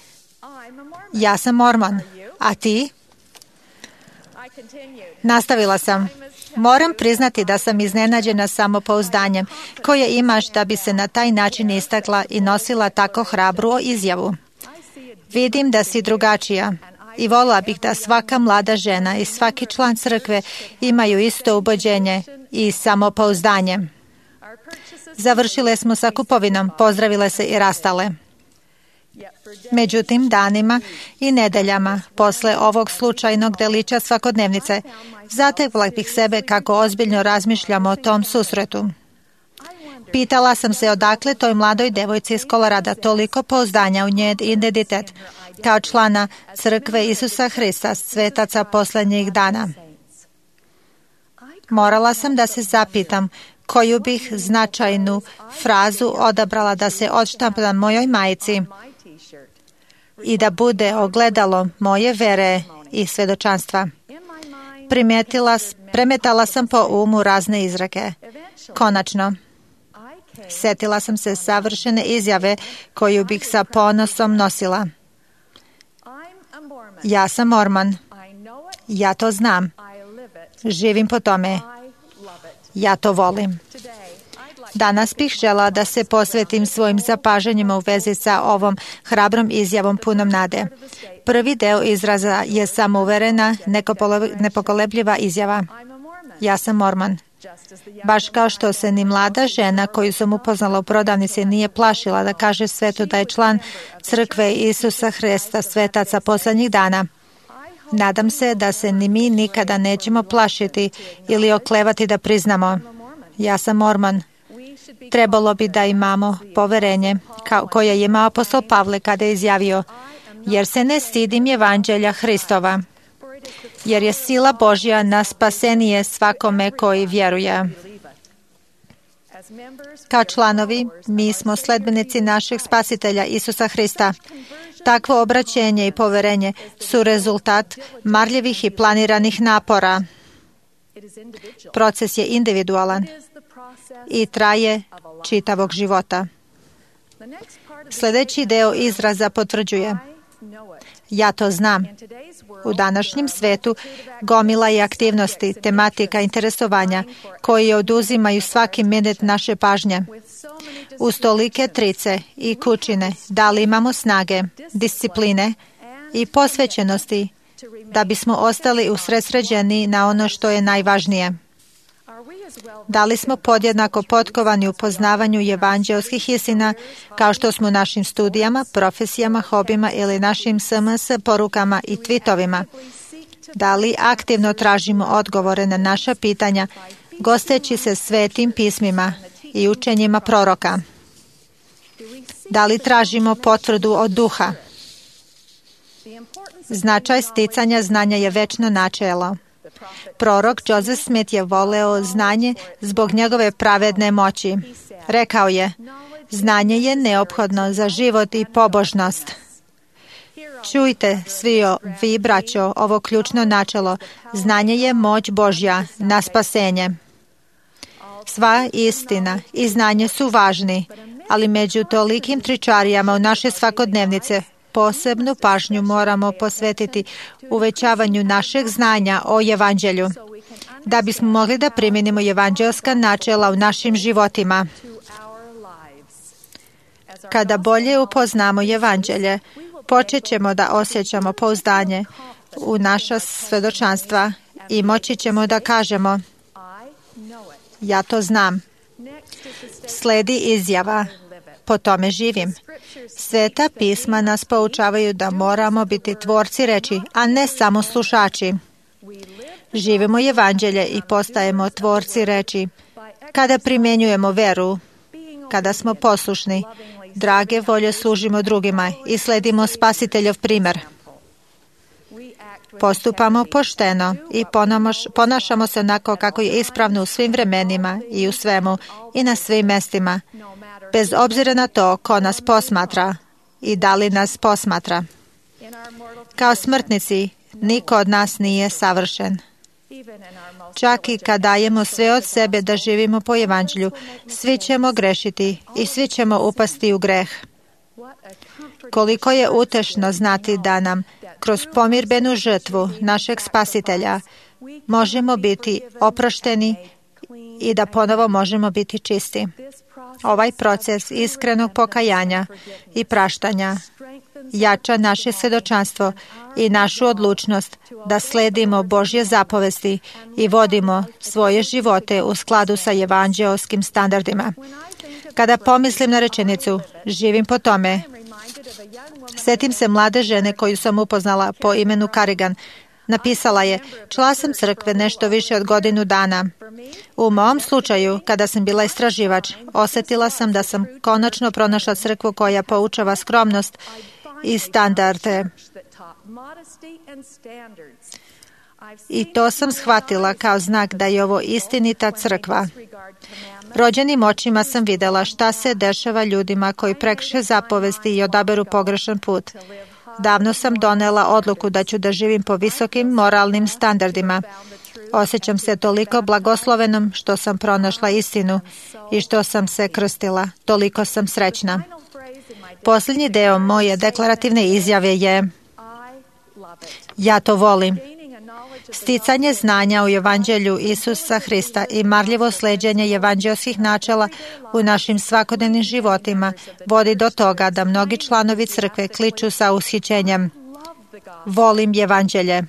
[SPEAKER 8] Ja sam Mormon, a ti? Nastavila sam. Moram priznati da sam iznenađena samopouzdanjem koje imaš da bi se na taj način istakla i nosila tako hrabru izjavu. Vidim da si drugačija i volila bih da svaka mlada žena i svaki član crkve imaju isto ubeđenje i samopouzdanje. Završile smo sa kupovinom, pozdravile se i rastale. Međutim, danima i nedeljama, posle ovog slučajnog delića svakodnevnice, zatekla bih sebe kako ozbiljno razmišljam o tom susretu. Pitala sam se odakle toj mladoj devojci iz Kolorada toliko pouzdanja u njen identitet, kao člana crkve Isusa Hrista, svetaca poslednjih dana. Morala sam da se zapitam koju bih značajnu frazu odabrala da se odštampa na mojoj majici i da bude ogledalo moje vere i svedočanstva. Premetala sam po umu razne izreke. Konačno, setila sam se savršene izjave koju bih sa ponosom nosila. Ja sam Mormon. Ja to znam. Živim po tome. Ja to volim. Danas bih žela da se posvetim svojim zapažanjima u vezi sa ovom hrabrom izjavom punom nade. Prvi deo izraza je samouverena, nepokolebljiva izjava. Ja sam Mormon. Baš kao što se ni mlada žena koju sam upoznala u prodavnici nije plašila da kaže svetu da je član crkve Isusa Hrista, svetaca poslednjih dana. Nadam se da se ni mi nikada nećemo plašiti ili oklevati da priznamo. Ja sam Mormon. Trebalo bi da imamo poverenje koje je imao apostol Pavle kada je izjavio, jer se ne stidim evanđelja Hristova, jer je sila Božja na spasenije svakome koji vjeruje. Kao članovi, mi smo sledbenici našeg spasitelja Isusa Hrista. Takvo obraćenje i poverenje su rezultat marljivih i planiranih napora. Proces je individualan i traje čitavog života. Sljedeći deo izraza potvrđuje. Ja to znam. U današnjem svetu gomila je aktivnosti, tematika, interesovanja koji oduzimaju svaki minut naše pažnje. Uz tolike trice i kućine da li imamo snage, discipline i posvećenosti da bismo ostali usredsređeni na ono što je najvažnije. Da li smo podjednako potkovani u poznavanju evanđelskih istina kao što smo našim studijama, profesijama, hobima ili našim SMS porukama i tweetovima? Da li aktivno tražimo odgovore na naša pitanja, gosteći se svetim pismima i učenjima proroka? Da li tražimo potvrdu od duha? Značaj sticanja znanja je večno načelo. Prorok Joseph Smith je voleo znanje zbog njegove pravedne moći. Rekao je, znanje je neophodno za život i pobožnost. Čujte svi vi, braćo, ovo ključno načelo. Znanje je moć Božja na spasenje. Sva istina i znanje su važni, ali među tolikim tričarijama u naše svakodnevnice posebnu pažnju moramo posvetiti uvećavanju našeg znanja o Evanđelju, da bismo mogli da primjenimo evanđelska načela u našim životima. Kada bolje upoznamo Evanđelje, počet ćemo da osjećamo pouzdanje u naša svedočanstva i moći ćemo da kažemo, ja to znam. Sledi izjava, po tome živim. Sveta pisma nas poučavaju da moramo biti tvorci reči, a ne samo slušači. Živimo Evanđelje i postajemo tvorci reči kada primjenjujemo veru, kada smo poslušni, drage volje služimo drugima i sledimo Spasiteljov primer. Postupamo pošteno i ponašamo se onako kako je ispravno u svim vremenima i u svemu i na svim mestima, bez obzira na to ko nas posmatra i da li nas posmatra. Kao smrtnici, niko od nas nije savršen. Čak i kad dajemo sve od sebe da živimo po Evanđelju, svi ćemo grešiti i svi ćemo upasti u greh. Koliko je utešno znati da nam, kroz pomirbenu žrtvu našeg Spasitelja, možemo biti oprošteni i da ponovo možemo biti čisti. Ovaj proces iskrenog pokajanja i praštanja jača naše svedočanstvo i našu odlučnost da sledimo Božje zapovesti i vodimo svoje živote u skladu sa evanđeoskim standardima. Kada pomislim na rečenicu, živim po tome, setim se mlade žene koju sam upoznala po imenu Karigan. Napisala je, čula sam crkve nešto više od godinu dana. U mom slučaju, kada sam bila istraživač, osjetila sam da sam konačno pronašla crkvu koja poučava skromnost i standarde. I to sam shvatila kao znak da je ovo istinita crkva. Rođenim očima sam videla šta se dešava ljudima koji prekrše zapovesti i odaberu pogrešan put. Davno sam donela odluku da ću da živim po visokim moralnim standardima. Osjećam se toliko blagoslovenom što sam pronašla istinu i što sam se krstila. Toliko sam srećna. Posljednji deo moje deklarativne izjave je ja to volim. Sticanje znanja u Evanđelju Isusa Hrista i marljivo sleđenje evanđelskih načela u našim svakodnevnim životima vodi do toga da mnogi članovi crkve kliču sa ushićenjem. Volim Evanđelje.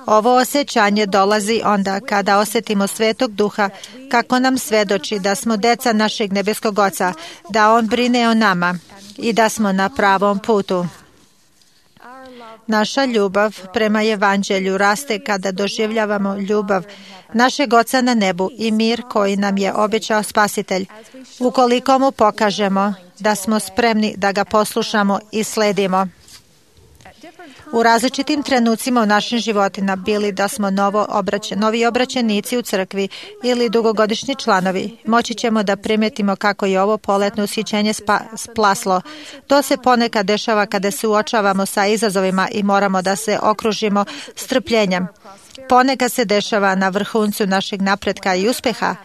[SPEAKER 8] Ovo osjećanje dolazi onda kada osjetimo Svetog Duha kako nam svedoči da smo deca našeg nebeskog Oca, da On brine o nama i da smo na pravom putu. Naša ljubav prema Evanđelju raste kada doživljavamo ljubav našeg Oca na nebu i mir koji nam je obećao Spasitelj, ukoliko mu pokažemo da smo spremni da ga poslušamo i sledimo. U različitim trenucima u našim životima, bili da smo novi obraćenici u crkvi ili dugogodišnji članovi, moći ćemo da primetimo kako je ovo poletno ushićenje splaslo. To se ponekad dešava kada se uočavamo sa izazovima i moramo da se okružimo strpljenjem. Ponekad se dešava na vrhuncu našeg napretka i uspeha.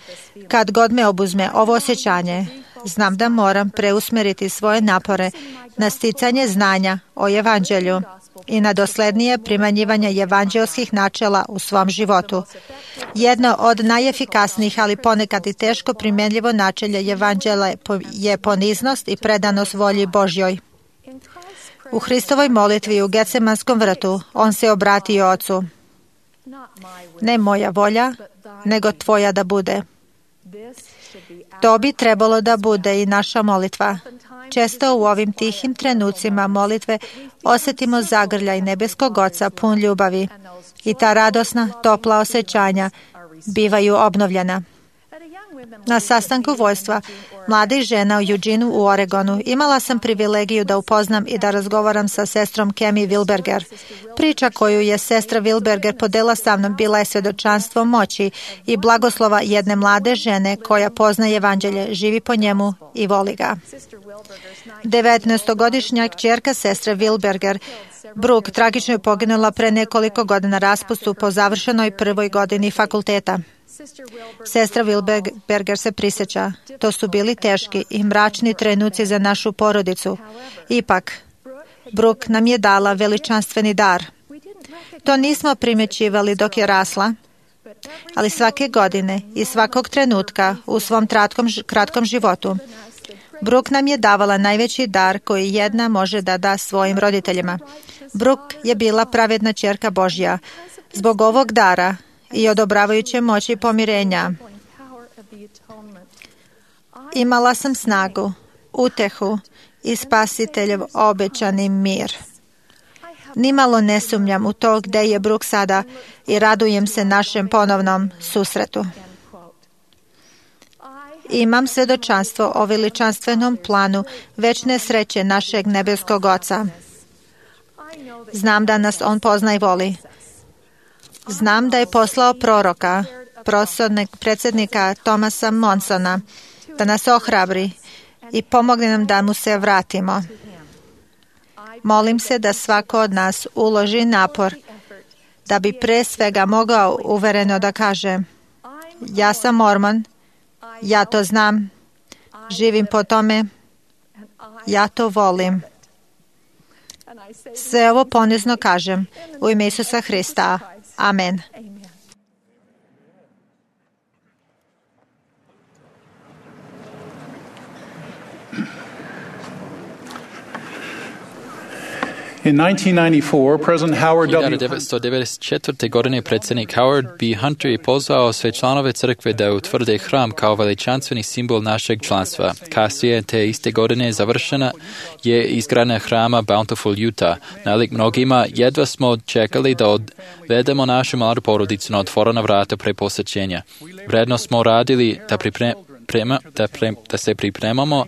[SPEAKER 8] Kad god me obuzme ovo osjećanje, znam da moram preusmeriti svoje napore na sticanje znanja o Evanđelju i na doslednije primanjivanje evanđelskih načela u svom životu. Jedno od najefikasnijih, ali ponekad i teško primjenljivo načelje Evanđelja je poniznost i predanost volji Božjoj. U Hristovoj molitvi u Getsemanskom vrtu on se obratio Ocu. Ne moja volja, nego tvoja da bude. To bi trebalo da bude i naša molitva. Često u ovim tihim trenucima molitve osjetimo zagrljaj nebeskog Oca pun ljubavi i ta radosna, topla osjećanja bivaju obnovljena. Na sastanku vojstva mladih žena u Eugene u Oregonu imala sam privilegiju da upoznam i da razgovaram sa sestrom Kemi Wilberger. Priča koju je sestra Wilberger podela sa mnom bila je svjedočanstvo moći i blagoslova jedne mlade žene koja poznaje evanđelje, živi po njemu i voli ga. 19-godišnja kćerka sestre Wilberger, Brooke, tragično je poginula pre nekoliko godina raspustu po završenoj prvoj godini fakulteta. Sestra Wilberger se prisjeća. To su bili teški i mračni trenuci za našu porodicu. Ipak, Brooke nam je dala veličanstveni dar. To nismo primjećivali dok je rasla, ali svake godine i svakog trenutka u svom kratkom životu Brooke nam je davala najveći dar koji jedna može da da svojim roditeljima. Brooke je bila pravedna ćerka Božja. Zbog ovog dara i odobravajuće moći pomirenja imala sam snagu, utehu i Spasiteljev obećani mir. Nimalo ne sumnjam u to gde je Brooke sada i radujem se našem ponovnom susretu. Imam svjedočanstvo o veličanstvenom planu večne sreće našeg nebeskog Oca. Znam da nas On pozna i voli. Znam da je poslao proroka, predsjednika Thomasa Monsona, da nas ohrabri i pomogne nam da mu se vratimo. Molim se da svako od nas uloži napor da bi pre svega mogao uvereno da kaže: ja sam Mormon, ja to znam, živim po tome, ja to volim. Sve ovo ponizno kažem u ime Isusa Hrista. Amen.
[SPEAKER 9] In 1994, President Howard W.
[SPEAKER 2] 1994. godine predsjednik Howard B. Hunter je pozvao sve članove crkve da utvrde hram kao veličanstveni simbol našeg članstva. Kasnije te iste godine završena je izgradnja hrama Bountiful, Utah. Nalik mnogima, jedva smo čekali da odvedemo našu mladu porodicu na otvorena vrata pre posjećenja. Vredno smo radili da se pripremamo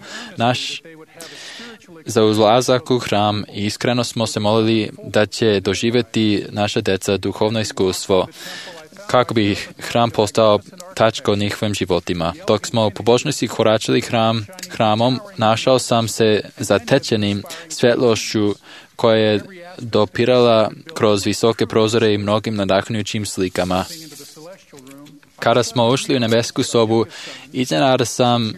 [SPEAKER 2] za ulazak u hram i iskreno smo se molili da će doživjeti naša deca duhovno iskustvo kako bi hram postao tačka u njihovim životima. Dok smo u pobožnosti koračali hramom, našao sam se zatečenim svjetlošću koja je dopirala kroz visoke prozore i mnogim nadahnujućim slikama. Kada smo ušli u nebesku sobu, iznenada sam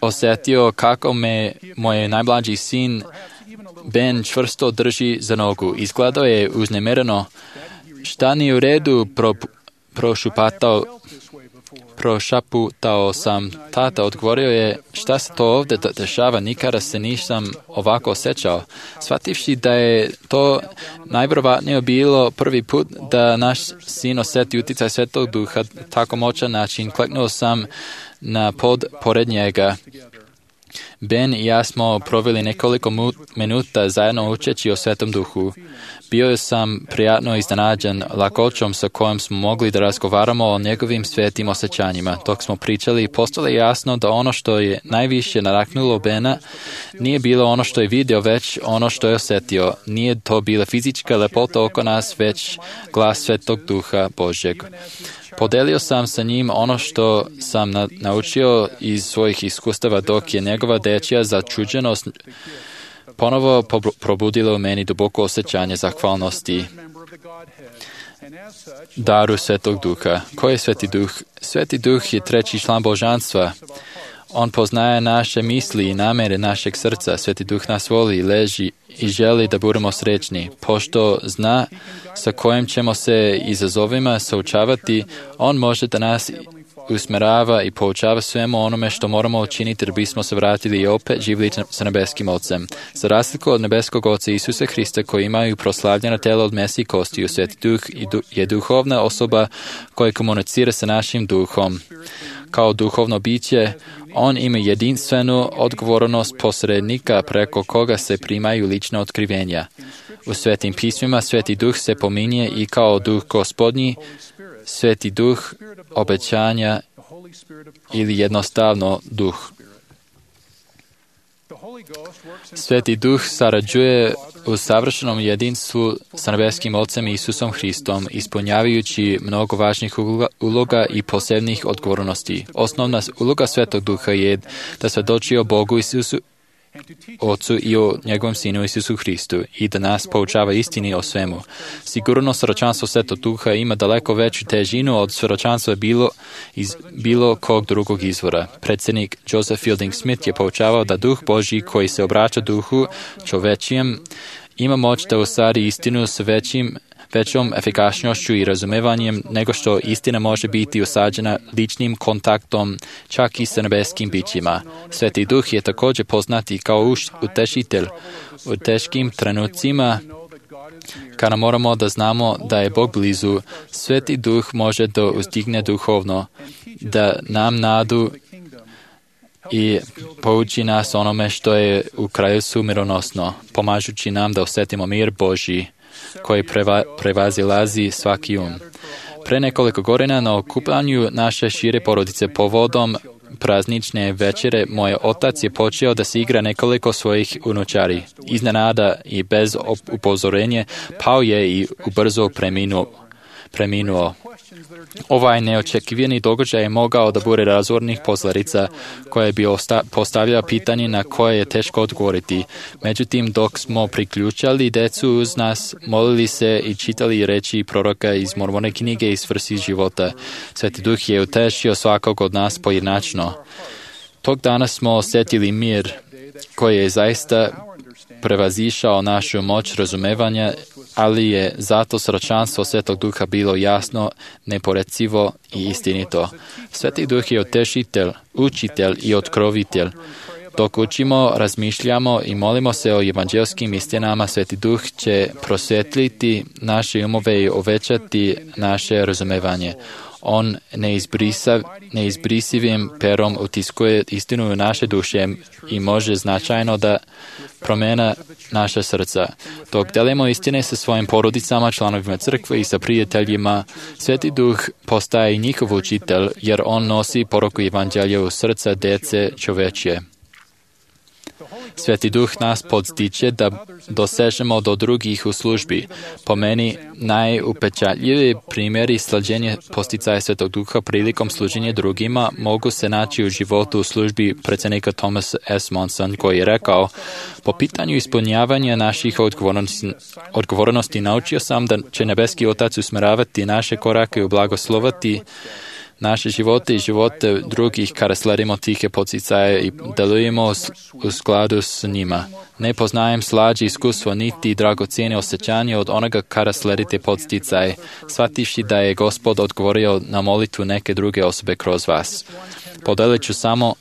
[SPEAKER 2] osjetio kako me moj najmlađi sin Ben čvrsto drži za nogu. Izgledao je uznemireno. Šta nije u redu, prošaputao sam. Tata odgovorio je: šta se to ovdje dešava, nikada se nisam ovako osjećao. Shvativši da je to najvjerovatnije bilo prvi put da naš sin osjeti utjecaj Svetog Duha tako moćan način, kleknuo sam na pod pored njega. Ben i ja smo proveli nekoliko minuta zajedno učeći o Svetom Duhu. Bio sam prijatno iznenađen lakoćom sa kojom smo mogli da razgovaramo o njegovim svetim osjećanjima. Dok smo pričali, postalo je jasno da ono što je najviše nadahnulo Bena nije bilo ono što je vidio, već ono što je osjetio. Nije to bila fizička lepota oko nas, već glas Svetog Duha Božjeg. Podelio sam sa njim ono što sam naučio iz svojih iskustava, dok je njegova dečija začuđenost ponovo probudila u meni duboko osjećanje zahvalnosti daru Svetog Duha. Ko je Sveti Duh? Sveti Duh je treći član božanstva. On poznaje naše misli i namere našeg srca. Sveti Duh nas voli, leži i želi da budemo srećni. Pošto zna sa kojim ćemo se izazovima suočavati, on može da nas usmerava i poučava svemu onome što moramo učiniti da bismo se vratili i opet živjeli sa nebeskim Ocem. Za razliku od nebeskog Oca Isusa Hrista koji imaju proslavljena tela od mesa i kostiju, Sveti Duh je duhovna osoba koja komunicira sa našim duhom. Kao duhovno biće, On ima jedinstvenu odgovornost posrednika preko koga se primaju lična otkrivenja. U Svetim pismima Sveti Duh se pominje i kao Duh Gospodnji, Sveti Duh obećanja ili jednostavno Duh. Sveti Duh sarađuje u savršenom jedinstvu sa nebeskim Ocem Isusom Hristom, ispunjavajući mnogo važnih uloga i posebnih odgovornosti. Osnovna uloga Svetog Duha je da svjedoči o Bogu Isusu, Ocu i o njegovom Sinu Isusu Hristu i da nas poučava istini o svemu. Sigurno svjedočanstvo Svetog Duha ima daleko veću težinu od svjedočanstva iz bilo kog drugog izvora. Predsjednik Joseph Fielding Smith je poučavao da Duh Božji koji se obraća duhu čovečijem ima moć da ostvari istinu s većom efikasnošću i razumevanjem nego što istina može biti usađena ličnim kontaktom čak i sa nebeskim bićima. Sveti Duh je također poznati kao utešitelj u teškim trenucima kada moramo da znamo da je Bog blizu. Sveti Duh može da uzdigne duhovno, da nam nadu i pouči nas onome što je u kraljevstvu mironosno, pomažući nam da osjetimo mir Božji koji prevazilazi svaki um. Pre nekoliko godina na okupljanju naše šire porodice povodom praznične večere moj otac je počeo da se igra nekoliko svojih unučari. Iznenada i bez upozorenja pao je i ubrzo preminuo. Ovaj neočekivani događaj je mogao da bude razornih posljedica koje bi postavljala pitanje na koje je teško odgovoriti. Međutim, dok smo priključali decu uz nas, molili se i čitali reči proroka iz Mormone knjige i svrsi života, Sveti Duh je utešio svakog od nas pojedinačno. Tog dana smo osjetili mir koji je zaista prevazišao našu moć razumevanja, ali je zato svjedočanstvo Svetog Duha bilo jasno, neporecivo i istinito. Sveti Duh je utešitelj, učitelj i otkrovitelj. Dok učimo, razmišljamo i molimo se o evanđelskim istinama, Sveti Duh će prosvjetliti naše umove i uvećati naše razumevanje. On neizbrisivim perom utiskuje istinu u naše duše i može značajno da promijena naša srca. Dok delimo istine sa svojim porodicama, članovima crkve i sa prijateljima, Sveti Duh postaje i njihov učitelj, jer on nosi poruku evanđelja u srca djece čovečje. Sveti Duh nas podstiče da dosežemo do drugih u službi. Po meni najupečatljiviji primjeri slađenja posticaja Svetog Duha prilikom služenja drugima mogu se naći u životu u službi predsjednika Thomas S. Monson, koji je rekao: po pitanju ispunjavanja naših odgovornosti naučio sam da će nebeski Otac usmjeravati naše korake i blagoslovati naše živote i živote drugih kada sledimo tihe poticaje i delujemo u skladu s njima. Ne poznajem slađe iskustvo niti dragocjene osjećanje od onoga kada sledite poticaje, shvativši da je Gospod odgovorio na molitvu neke druge osobe kroz vas. Podelit ću samo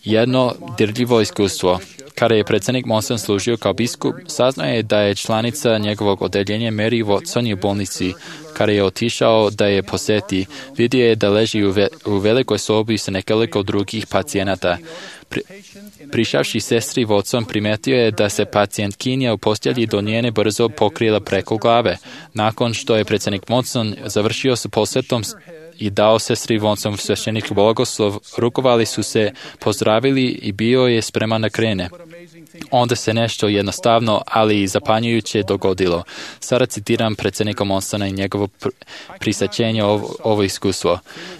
[SPEAKER 2] jedno dirljivo iskustvo. Kada je predsjednik Monson služio kao biskup, saznao je da je članica njegovog odeljenja Mary Watson u bolnici. Kada je otišao da je posjeti, vidio je da leži u velikoj sobi sa nekoliko drugih pacijenata. Prišavši sestri Watson, primetio je da se pacijentkinja u postelji do njene brzo pokrila preko glave. Nakon što je predsjednik Monson završio sa posjetom i dao sestri Watson sveštenik blagoslov, rukovali su se, pozdravili i bio je spreman da krene. Onda se nešto jednostavno, ali i zapanjujuće dogodilo. Sada citiram predsjednika Monsona i njegovo prisaćenje ovo iskustvo.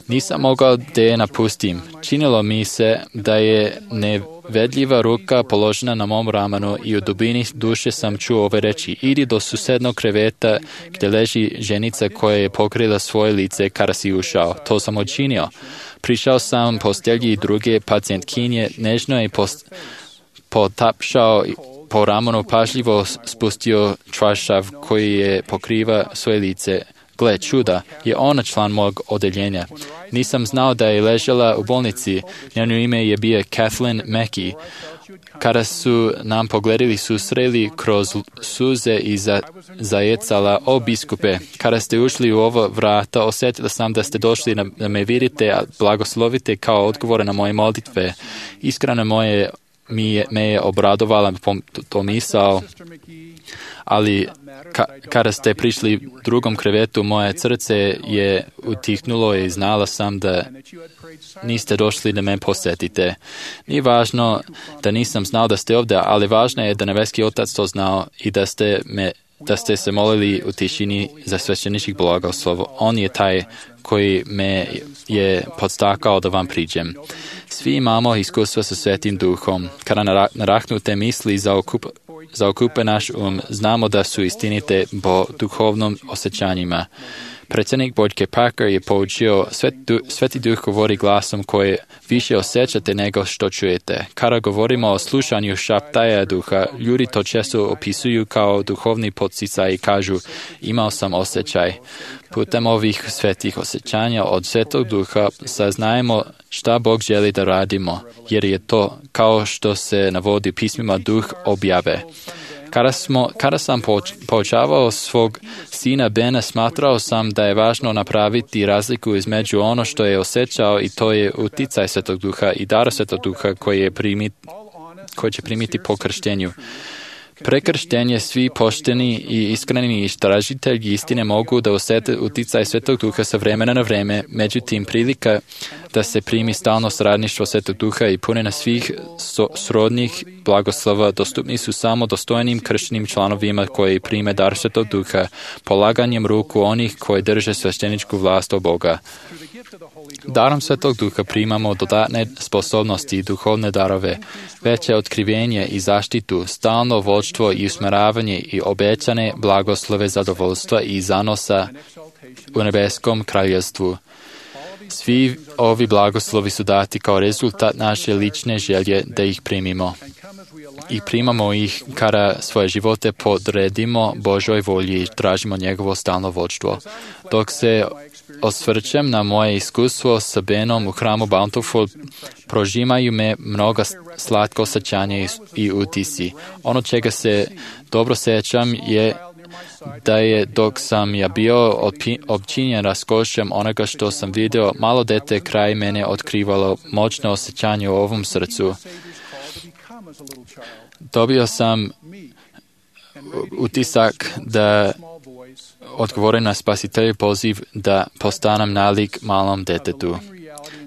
[SPEAKER 2] Nisam mogao da je napustim. Činilo mi se da je nevedljiva ruka položena na mom ramenu i u dubini duše sam čuo ove reči: idi do susednog kreveta gdje leži ženica koja je pokrila svoje lice kada si ušao. To sam učinio. Prišao sam postelji druge pacijentkinje, nežno je potapšao po ramenu, pažljivo spustio čaršav koji je pokriva svoje lice. Gle, čuda, je ona član mog odeljenja. Nisam znao da je ležela u bolnici. Njeno ime je bio Kathleen Mackey. kada su nam pogledali susreli kroz suze i zajecala, o biskupe, kada ste ušli u ova vrata, osjetila sam da ste došli da me vidite, a blagoslovite kao odgovore na moje molitve. Iskreno me je obradovala to misao, ali kada ste prišli drugom krevetu, moje srce je utihnulo i znala sam da niste došli da me posjetite. Nije važno da nisam znao da ste ovdje, ali važno je da nebeski Otac to znao i da ste se molili u tišini za svećeničkih blagoslovo. On je taj koji me je podstakao da vam priđem. Svi imamo iskustva sa Svetim Duhom. Kada narahnute misli zaokupe naš znamo da su istinite po duhovnom osjećanjima. Predsjednik Boyd Packer je poučio, Sveti Duh govori glasom koje više osjećate nego što čujete. Kada govorimo o slušanju šaptaja duha, ljudi to često opisuju kao duhovni podsticaj i kažu, imao sam osjećaj. Putem ovih svetih osjećanja od Svetog Duha saznajemo šta Bog želi da radimo, jer je to, kao što se navodi u pismima, duh objave. Kada sam poučavao svog sina Bena, smatrao sam da je važno napraviti razliku između ono što je osjećao i to je uticaj Svetog Duha i dar Svetog Duha koji će primiti po krštenju. Prekrštenje svi pošteni i iskreni istražitelji istine mogu da osjete uticaj Svetog Duha sa vremena na vreme, međutim prilika da se primi stalno sradništvo Svetog Duha i punina svih srodnih blagoslova dostupni su samo dostojnim krštenim članovima koji prime dar Svetog Duha, polaganjem ruku onih koji drže svešteničku vlast od Boga. Darom Svetog Duha primamo dodatne sposobnosti i duhovne darove, veće otkrivenje i zaštitu, stalno vodstvo i usmeravanje i obećane blagoslove zadovoljstva i zanosa u nebeskom kraljevstvu. Svi ovi blagoslovi su dati kao rezultat naše lične želje da ih primimo. I primamo ih kada svoje živote podredimo Božoj volji i tražimo njegovo stalno vodstvo. Dok se osvrćem na moje iskustvo sa Benom u hramu Bountiful, prožimaju me mnoga slatko osjećanja i utisi. Ono čega se dobro sjećam je da je dok sam ja bio općinjen raskošem onoga što sam vidio, malo dete kraj mene otkrivalo moćno osjećanje u ovom srcu. Dobio sam utisak da odgovorim na Spasiteljev poziv da postanem nalik malom detetu.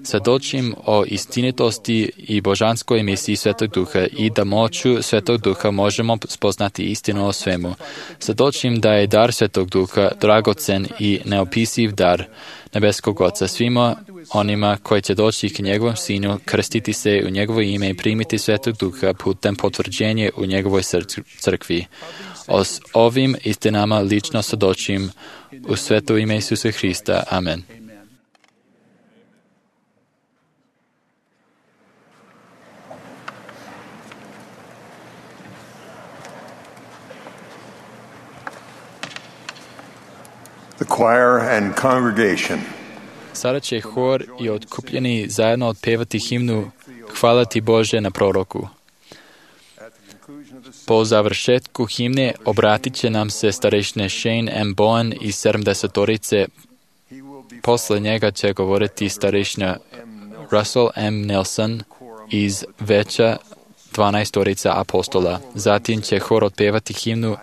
[SPEAKER 2] Svjedočim o istinitosti i božanskoj misiji Svetog Duha i da moću Svetog Duha možemo spoznati istinu o svemu. Svjedočim da je dar Svetog Duha dragocen i neopisiv dar nebeskog Oca svima onima koji će doći k njegovom sinu, krstiti se u njegovo ime i primiti Svetog Duha putem potvrđenja u njegovoj crkvi. O ovim istinama lično svjedočim u sveto ime Isusa Hrista. Amen.
[SPEAKER 5] The choir and congregation.
[SPEAKER 2] Sada će hor i otkupljeni zajedno otpevati himnu Hvala ti Bože na proroku. Po završetku himne obratit će nam se starešine Shane M. Bowen iz 70-torice. Posle njega će govoriti starešina Russell M. Nelson iz veća 12-torica apostola. Zatim će hor otpevati himnu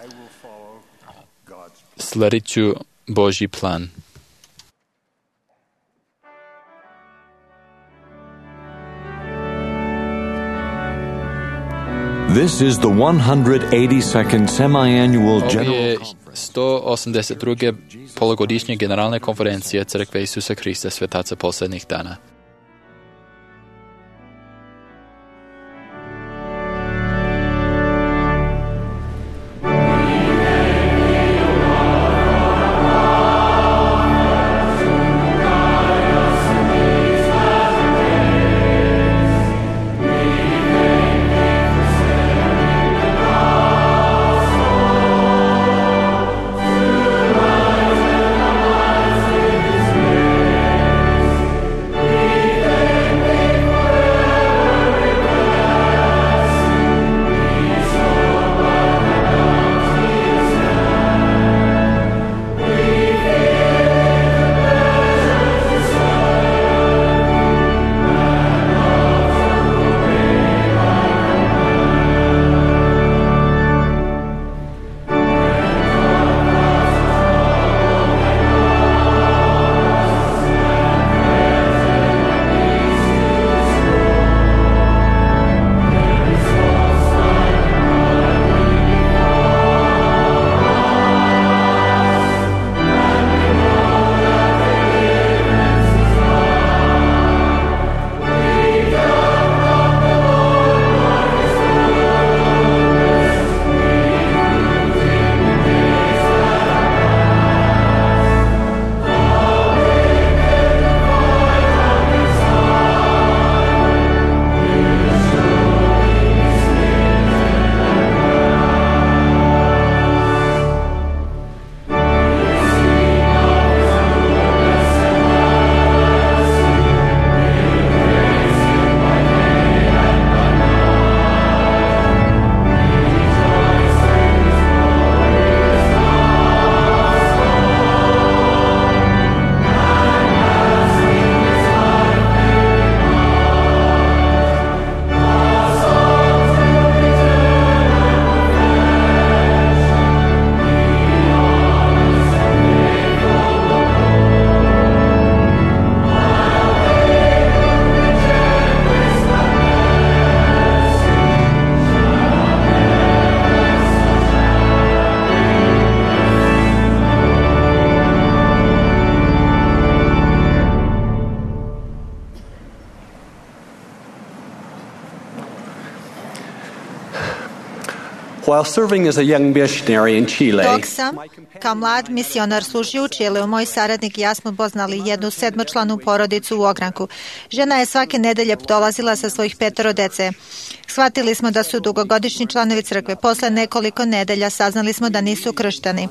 [SPEAKER 2] Sledit ću Božji plan.
[SPEAKER 1] This is the 182nd semi-annual
[SPEAKER 2] Ovo je
[SPEAKER 1] general
[SPEAKER 2] 182. polugodišnje generalne konferencije Crkve Isusa Hrista svetaca posljednjih dana.
[SPEAKER 10] We
[SPEAKER 6] While serving as a young missionary in Chile,
[SPEAKER 8] Dok sam kao mlad misionar služio u Čileu, moj saradnik i ja smo poznali jednu 7-članu porodicu u ogranku. Žena je svake nedelje dolazila sa svojih 5 dece. Shvatili smo da su dugogodišnji članovi crkve. Posle nekoliko nedelja saznali smo da nisu kršteni.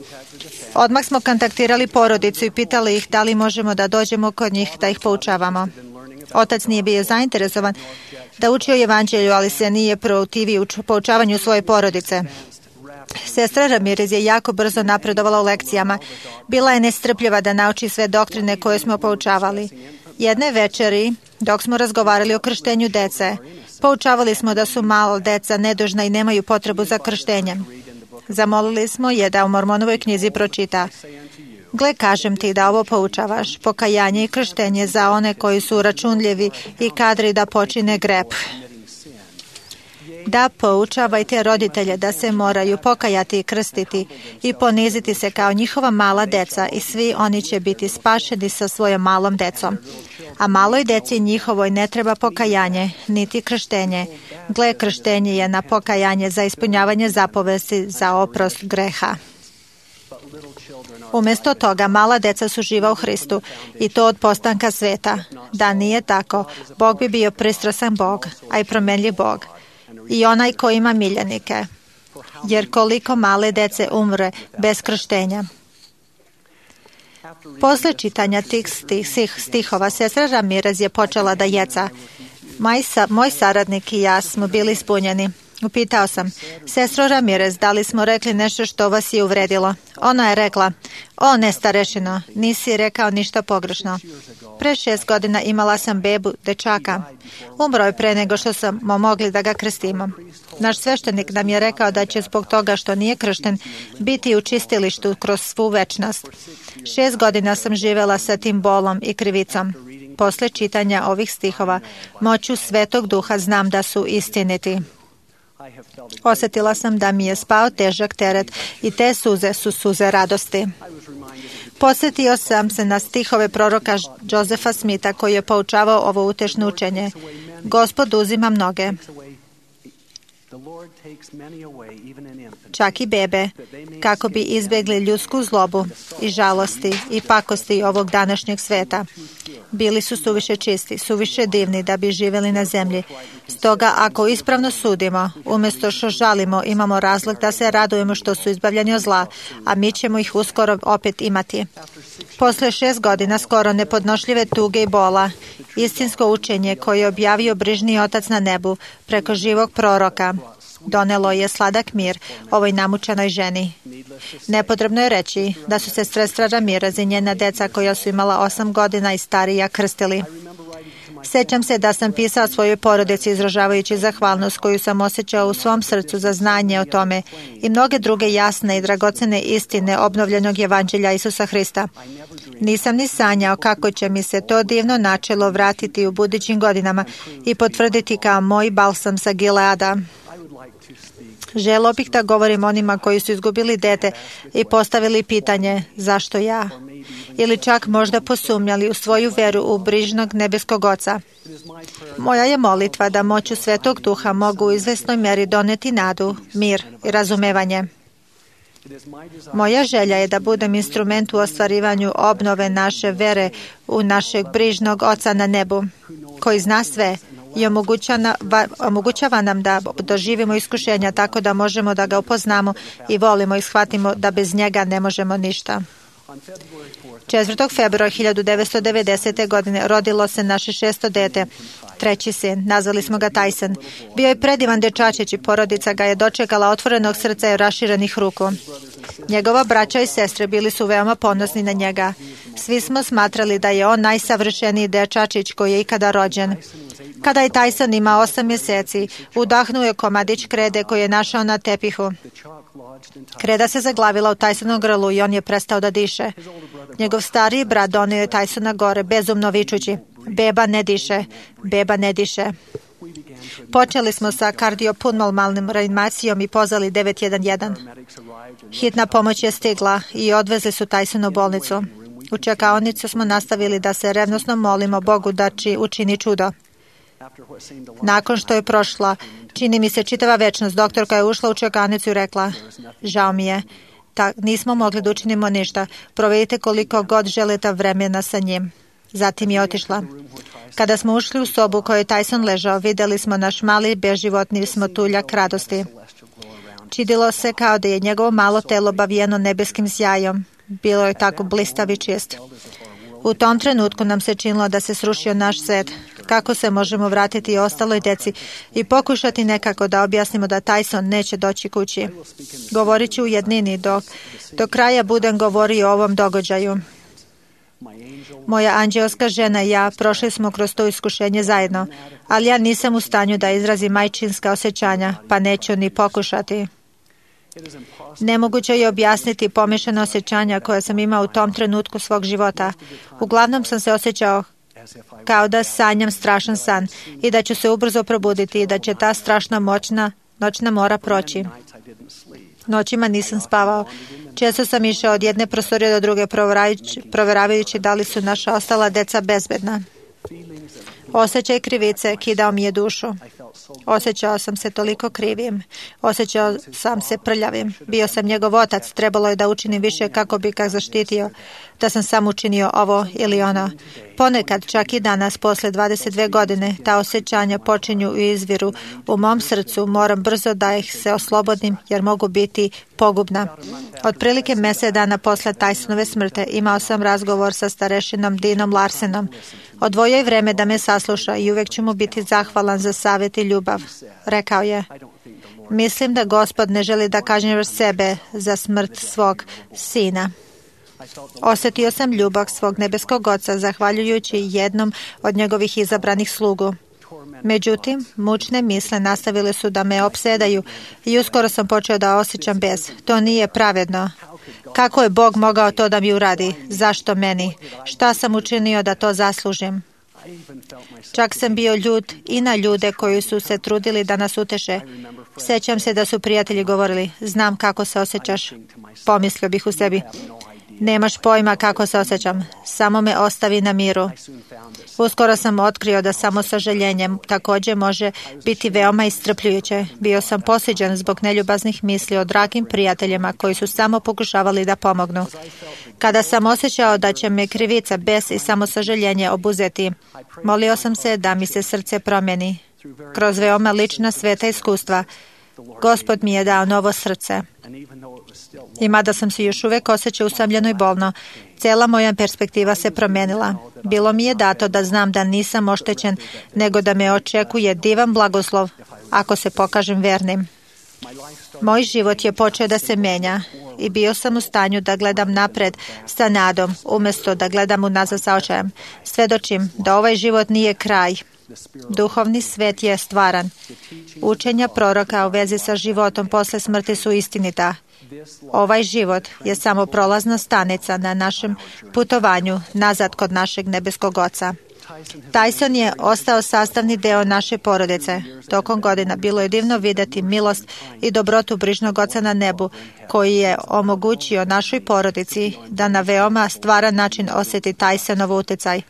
[SPEAKER 8] Odmah smo kontaktirali porodicu i pitali ih da li možemo da dođemo kod njih da ih poučavamo. Otac nije bio zainteresovan da uči o evanđelju, ali se nije protivio u poučavanju svoje porodice. Sestra Ramirez je jako brzo napredovala u lekcijama. Bila je nestrpljiva da nauči sve doktrine koje smo poučavali. Jedne večeri, dok smo razgovarali o krštenju dece, poučavali smo da su malo deca nedužna i nemaju potrebu za krštenjem. Zamolili smo je da u Mormonovoj knjizi pročita: Gle, kažem ti da ovo poučavaš, pokajanje i krštenje za one koji su računljivi i kadri da počine greh. Da poučavajte roditelje da se moraju pokajati i krstiti i poniziti se kao njihova mala deca i svi oni će biti spašeni sa svojom malom decom. A maloj deci njihovoj ne treba pokajanje, niti krštenje. Gle, krštenje je na pokajanje za ispunjavanje zapovesti za oprost greha. Umjesto toga, mala deca su živa u Hristu i to od postanka sveta. Da nije tako, Bog bi bio pristrasan Bog, a i promenljiv Bog. I onaj ko ima miljenike. Jer koliko male dece umre bez krštenja. Posle čitanja tih stihova, sestra Ramirez je počela da jeca. Moj saradnik i ja smo bili ispunjeni. Upitao sam: Sestro Ramirez, da li smo rekli nešto što vas je uvredilo? Ona je rekla: O, ne, starešino, nisi rekao ništa pogrešno. Pre 6 godina imala sam bebu, dečaka. Umro je pre nego što smo mogli da ga krstimo. Naš sveštenik nam je rekao da će zbog toga što nije kršten biti u čistilištu kroz svu večnost. 6 godina sam živela sa tim bolom i krivicom. Posle čitanja ovih stihova, moću Svetog Duha znam da su istiniti. Osjetila sam da mi je spao težak teret i te suze su suze radosti. Podsjetio sam se na stihove proroka Josefa Smitha koji je poučavao ovo utešno učenje. Gospod uzima mnoge, čak i bebe, kako bi izbjegli ljudsku zlobu i žalosti i pakosti ovog današnjeg sveta. Bili su suviše čisti, suviše divni da bi živjeli na zemlji. Stoga, ako ispravno sudimo, umjesto što žalimo, imamo razlog da se radujemo što su izbavljeni od zla, a mi ćemo ih uskoro opet imati. Posle 6 godina skoro nepodnošljive tuge i bola, istinsko učenje koje je objavio brižni Otac na nebu preko živog proroka donelo je sladak mir ovoj namučenoj ženi. Nepotrebno je reći da su se sestra Ramirez i njena deca koja su imala 8 godina i starija krstili. Sjećam se da sam pisao svojoj porodici izražavajući zahvalnost koju sam osjećao u svom srcu za znanje o tome i mnoge druge jasne i dragocene istine obnovljenog evanđelja Isusa Hrista. Nisam ni sanjao kako će mi se to divno načelo vratiti u budućim godinama i potvrditi kao moj balsam sa Gileada. Želio bih da govorim onima koji su izgubili dete i postavili pitanje zašto ja? Ili čak možda posumnjali u svoju veru u brižnog nebeskog Oca. Moja je molitva da moću Svetog Duha mogu u izvesnoj mjeri doneti nadu, mir i razumevanje. Moja želja je da budem instrument u ostvarivanju obnove naše vere u našeg brižnog Oca na nebu, koji zna sve i omogućava nam da doživimo iskušenja tako da možemo da ga upoznamo i volimo i shvatimo da bez njega ne možemo ništa. 4. februara 1990. godine rodilo se naše 6. dete, 3. sin. Nazvali smo ga Tyson. Bio je predivan dečačić i porodica ga je dočekala otvorenog srca i raširenih ruku. Njegova braća i sestre bili su veoma ponosni na njega. Svi smo smatrali da je on najsavršeniji dečačić koji je ikada rođen. Kada je Tyson imao 8 mjeseci, udahnuo je komadić krede koji je našao na tepihu. Kreda se zaglavila u Tysonovom grlu i on je prestao da diše. Njegov stariji brat donio je Tysona gore, bezumno vičući: Beba ne diše, beba ne diše. Počeli smo sa kardiopulmonalnom reanimacijom i pozvali 911. Hitna pomoć je stigla i odvezli su Tysona u bolnicu. U čekaonicu smo nastavili da se revnosno molimo Bogu da učini čudo. Nakon što je prošla, čini mi se čitava večnost, doktorka je ušla u čekanicu i rekla, žao mi je, nismo mogli da učinimo ništa. Provedite koliko god želite vremena sa njim. Zatim je otišla. Kada smo ušli u sobu u kojoj je Tyson ležao, videli smo naš mali beživotni smotuljak radosti. Činilo se kao da je njegovo malo telo obavijeno nebeskim sjajom. Bilo je tako blistav i čist. U tom trenutku nam se činilo da se srušio naš svet. Kako se možemo vratiti ostaloj deci i pokušati nekako da objasnimo da Tyson neće doći kući. Govorit ću u jednini do kraja budem govorio o ovom događaju. Moja anđelska žena i ja prošli smo kroz to iskušenje zajedno, ali ja nisam u stanju da izrazim majčinska osjećanja, pa neću ni pokušati. Nemoguće je objasniti pomešana osjećanja koje sam imao u tom trenutku svog života. Uglavnom sam se osjećao kao da sanjam strašan san i da ću se ubrzo probuditi i da će ta strašna noćna mora proći. Noćima nisam spavao. Često sam išao od jedne prostorije do druge provjeravajući da li su naša ostala deca bezbedna. Osjećaj krivice kidao mi je dušu. Osjećao sam se toliko krivim. Osjećao sam se prljavim. Bio sam njegov otac. Trebalo je da učinim više kako bi ga zaštitio. Da sam sam učinio ovo ili ono. Ponekad, čak i danas, posle 22 godine, ta osjećanja počinju i izviru u mom srcu. Moram brzo da ih se oslobodim jer mogu biti pogubna. Otprilike mjesec dana posle Tysonove smrti imao sam razgovor sa starešinom Dinom Larsenom. Odvojio je vreme da me sasluša i uvijek ću mu biti zahvalan za savjet i ljubav. Rekao je, mislim da Gospod ne želi da kažnjavaš sebe za smrt svog sina. Osjetio sam ljubav svog nebeskog oca zahvaljujući jednom od njegovih izabranih slugu. Međutim, mučne misle nastavile su da me opsedaju i uskoro sam počeo da osjećam bes. To nije pravedno. Kako je Bog mogao to da mi uradi? Zašto meni? Šta sam učinio da to zaslužim? Čak sam bio ljut i na ljude koji su se trudili da nas uteše. Sjećam se da su prijatelji govorili, znam kako se osjećaš. Pomislio bih u sebi, nemaš pojma kako se osjećam, samo me ostavi na miru. Uskoro sam otkrio da samo sažaljenjem također može biti veoma iscrpljujuće. Bio sam posuđen zbog neljubaznih misli o dragim prijateljima koji su samo pokušavali da pomognu. Kada sam osjećao da će me krivica, bes i samo sažaljenje obuzeti, molio sam se da mi se srce promijeni. Kroz veoma lična sveta iskustva, Gospod mi je dao novo srce. I mada sam se još uvijek osjećao usamljeno i bolno, cijela moja perspektiva se promijenila. Bilo mi je dato da znam da nisam oštećen, nego da me očekuje divan blagoslov ako se pokažem vernim. Moj život je počeo da se menja i bio sam u stanju da gledam napred sa nadom, umjesto da gledam unazad sa očajem. Svedočim da ovaj život nije kraj. Duhovni svet je stvaran. Učenja proroka u vezi sa životom posle smrti su istinita. Ovaj život je samo prolazna stanica na našem putovanju nazad kod našeg nebeskog Oca. Tyson je ostao sastavni deo naše porodice. Tokom godina bilo je divno vidjeti milost i dobrotu brižnog Oca na nebu, koji je omogućio našoj porodici da na veoma stvaran način osjeti Tysonov utjecaj.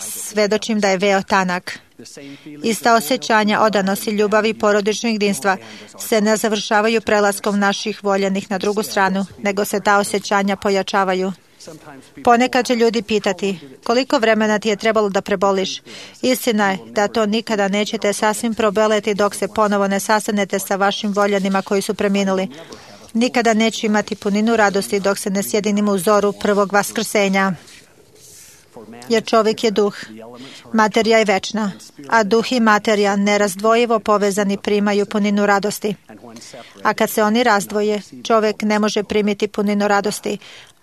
[SPEAKER 8] Svedočim da je veo tanak. Ista osjećanja odanosti, ljubavi i porodičnog jedinstva se ne završavaju prelaskom naših voljenih na drugu stranu, nego se ta osjećanja pojačavaju. Ponekad će ljudi pitati, koliko vremena ti je trebalo da preboliš? Istina je da to nikada nećete sasvim probeleti dok se ponovo ne sastanete sa vašim voljenima koji su preminuli. Nikada neću imati puninu radosti dok se ne sjedinimo u zoru prvog vaskrsenja. Jer čovjek je duh, materija je večna, a duh i materija nerazdvojivo povezani primaju puninu radosti. A kad se oni razdvoje, čovjek ne može primiti puninu radosti,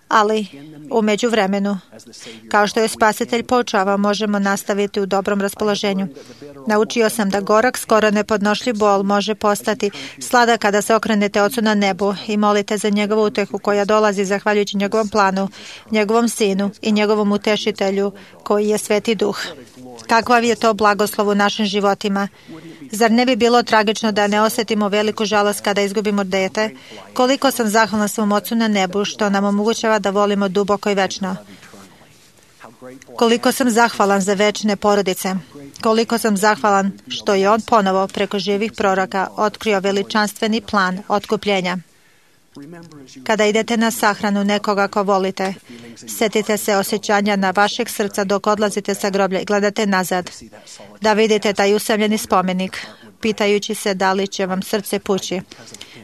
[SPEAKER 8] ali u međuvremenu, kao što je Spasitelj poučava, možemo nastaviti u dobrom raspoloženju. Naučio sam da gorak, skoro nepodnošljiv bol može postati sladak kada se okrenete Ocu na nebu i molite za njegovu utehu koja dolazi zahvaljujući njegovom planu, njegovom sinu i njegovom utešitelju koji je Sveti Duh. Kakav je to blagoslov u našim životima? Zar ne bi bilo tragično da ne osjetimo veliku žalost kada izgubimo dete? Koliko sam zahvalna svom Ocu na nebu što nam omogućava da volimo duboko i večno. Koliko sam zahvalan za večne porodice. Koliko sam zahvalan što je on ponovo preko živih proroka otkrio veličanstveni plan otkupljenja. Kada idete na sahranu nekoga ko volite, setite se osjećanja na vašeg srca dok odlazite sa groblja i gledate nazad, da vidite taj usamljeni spomenik, pitajući se da li će vam srce pući.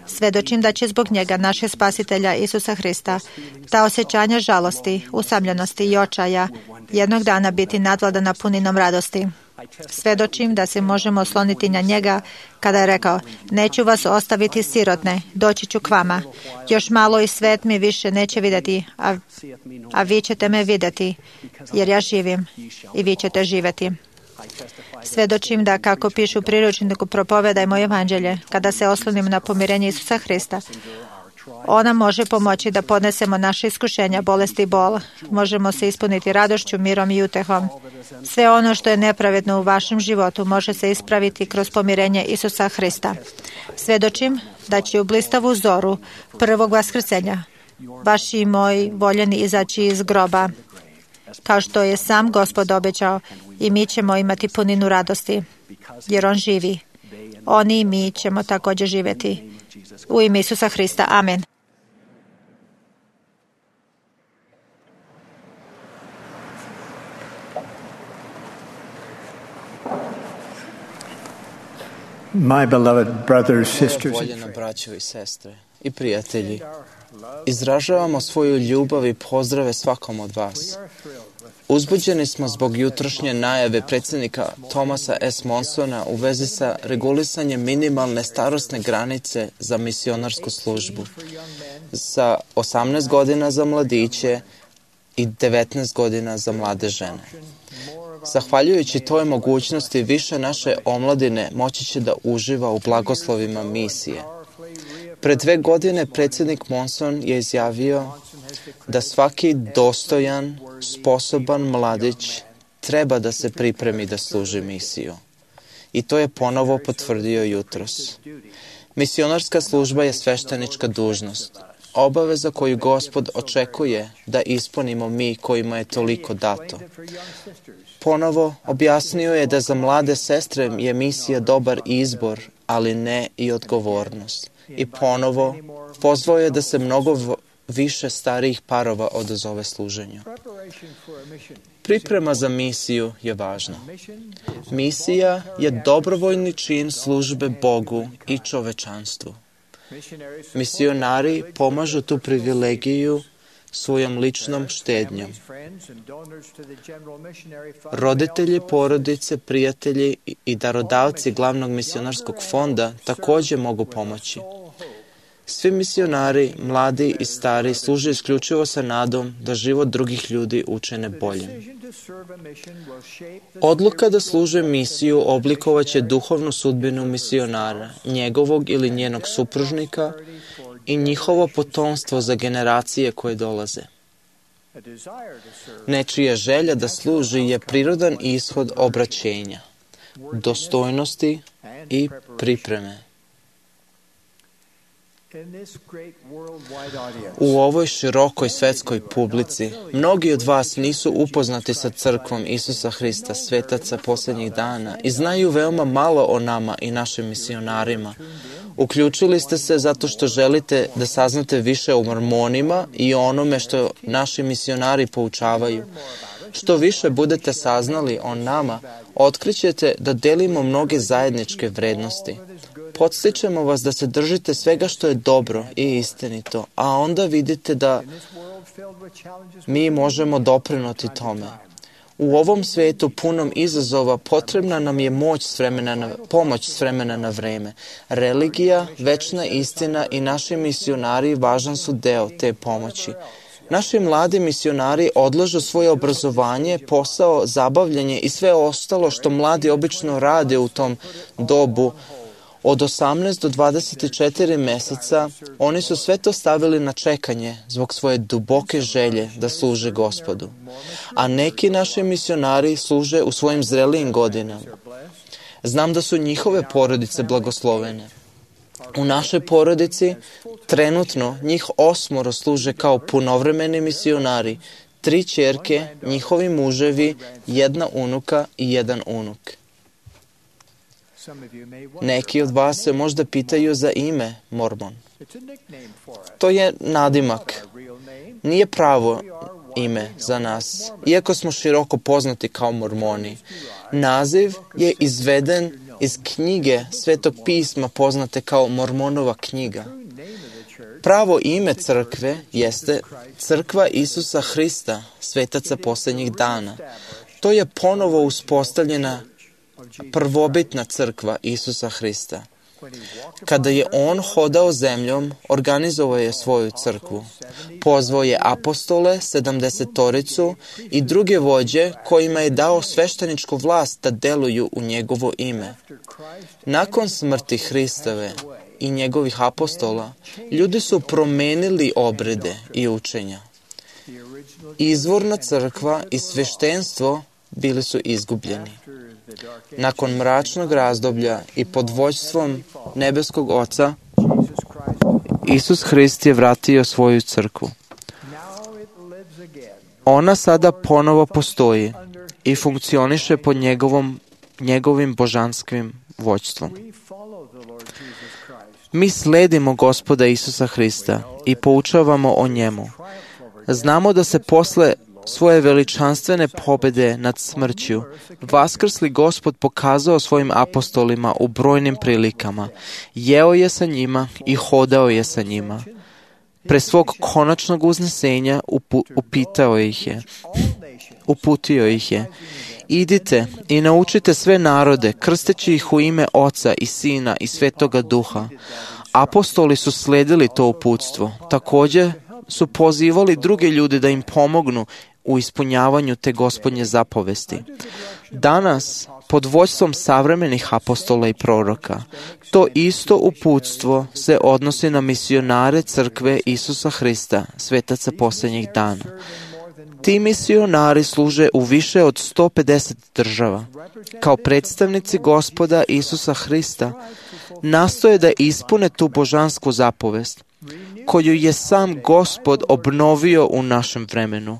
[SPEAKER 8] Svedočim da će zbog njega, našeg spasitelja Isusa Hrista, ta osjećanja žalosti, usamljenosti i očaja jednog dana biti nadvladana puninom radosti. Svedočim da se možemo osloniti na njega kada je rekao: neću vas ostaviti sirotne, doći ću k vama. Još malo i svet mi više neće vidjeti, a vi ćete me vidjeti, jer ja živim i vi ćete živjeti. Svedočim da, kako pišu u priručniku Propovedajmo evanđelje, kada se oslonim na pomirenje Isusa Hrista, ona može pomoći da podnesemo naše iskušenja, bolesti i bol. Možemo se ispuniti radošću, mirom i utehom. Sve ono što je nepravedno u vašem životu može se ispraviti kroz pomirenje Isusa Hrista. Svedočim da će u blistavu zoru prvog vaskrsenja vaši i moji voljeni izaći iz groba, kao što je sam Gospod obećao, i mi ćemo imati puninu radosti, jer on živi. Oni i mi ćemo također živjeti. U ime Isusa Hrista. Amen.
[SPEAKER 7] My beloved brothers, sisters,
[SPEAKER 4] Voljena braćo i sestre i prijatelji, izražavamo svoju ljubav i pozdrave svakom od vas. Uzbuđeni smo zbog jutrošnje najave predsjednika Thomasa S. Monsona u vezi sa regulisanjem minimalne starosne granice za misionarsku službu sa 18 godina za mladiće i 19 godina za mlade žene. Zahvaljujući toj mogućnosti, više naše omladine moći će da uživa u blagoslovima misije. Pred 2 godine predsjednik Monson je izjavio da svaki dostojan, sposoban mladić treba da se pripremi da služi misiju. I to je ponovo potvrdio jutros. Misionarska služba je sveštenička dužnost, obaveza koju Gospod očekuje da ispunimo mi kojima je toliko dato. Ponovo objasnio je da za mlade sestre je misija dobar izbor, ali ne i odgovornost. I ponovo pozvao je da se mnogo više starijih parova odazove služenju. Priprema za misiju je važna. Misija je dobrovoljni čin službe Bogu i čovečanstvu. Misionari pomažu tu privilegiju svojom ličnom štednjom. Roditelji, porodice, prijatelji i darodavci glavnog misionarskog fonda također mogu pomoći. Svi misionari, mladi i stari, služe isključivo sa nadom da život drugih ljudi učine boljim. Odluka da služe misiju oblikovaće duhovnu sudbinu misionara, njegovog ili njenog supružnika i njihovo potomstvo za generacije koje dolaze. Nečija želja da služi je prirodan ishod obraćenja, dostojnosti i pripreme. U ovoj širokoj svetskoj publici, mnogi od vas nisu upoznati sa crkvom Isusa Hrista, svetaca posljednjih dana, i znaju veoma malo o nama i našim misionarima. Uključili ste se zato što želite da saznate više o mormonima i o onome što naši misionari poučavaju. Što više budete saznali o nama, otkrićete da delimo mnoge zajedničke vrednosti. Podstičemo vas da se držite svega što je dobro i istinito, a onda vidite da mi možemo doprinuti tome. U ovom svetu punom izazova potrebna nam je pomoć s vremena na vreme. Religija, večna istina i naši misionari važan su deo te pomoći. Naši mladi misionari odlažu svoje obrazovanje, posao, zabavljanje i sve ostalo što mladi obično rade u tom dobu. Od 18 do 24 meseca oni su sve to stavili na čekanje zbog svoje duboke želje da služe Gospodu. A neki naši misionari služe u svojim zrelijim godinama. Znam da su njihove porodice blagoslovene. U našoj porodici trenutno njih 8 služe kao punovremeni misionari, 3 ćerke, njihovi muževi, 1 unuka i 1 unuk. Neki od vas se možda pitaju za ime Mormon. To je nadimak. Nije pravo ime za nas, iako smo široko poznati kao Mormoni. Naziv je izveden iz knjige Svetog pisma poznate kao Mormonova knjiga. Pravo ime crkve jeste Crkva Isusa Hrista, svetaca posljednjih dana. To je ponovo uspostavljena prvobitna crkva Isusa Hrista. Kada je on hodao zemljom, organizovao je svoju crkvu. Pozvao je apostole, 70 i druge vođe kojima je dao svešteničku vlast da deluju u njegovo ime. Nakon smrti Hristove i njegovih apostola, ljudi su promenili obrede i učenja. Izvorna crkva i sveštenstvo bili su izgubljeni. Nakon mračnog razdoblja i pod vođstvom nebeskog Oca, Isus Hrist je vratio svoju crkvu. Ona sada ponovo postoji i funkcioniše pod njegovim božanskim vođstvom. Mi sledimo Gospoda Isusa Hrista i poučavamo o njemu. Znamo da se posle svoje veličanstvene pobjede nad smrću vaskrsli Gospod pokazao svojim apostolima u brojnim prilikama. Jeo je sa njima i hodao je sa njima. Pre svog konačnog uznesenja uputio ih je. Idite i naučite sve narode, krsteći ih u ime Oca i Sina i Svetoga Duha. Apostoli su sledili to uputstvo. Također su pozivali druge ljude da im pomognu u ispunjavanju te Gospodnje zapovesti. Danas, pod vođstvom savremenih apostola i proroka, to isto uputstvo se odnosi na misionare crkve Isusa Hrista, svetaca posljednjih dana. Ti misionari služe u više od 150 država. Kao predstavnici Gospoda Isusa Hrista nastoje da ispune tu božansku zapovest, koju je sam Gospod obnovio u našem vremenu,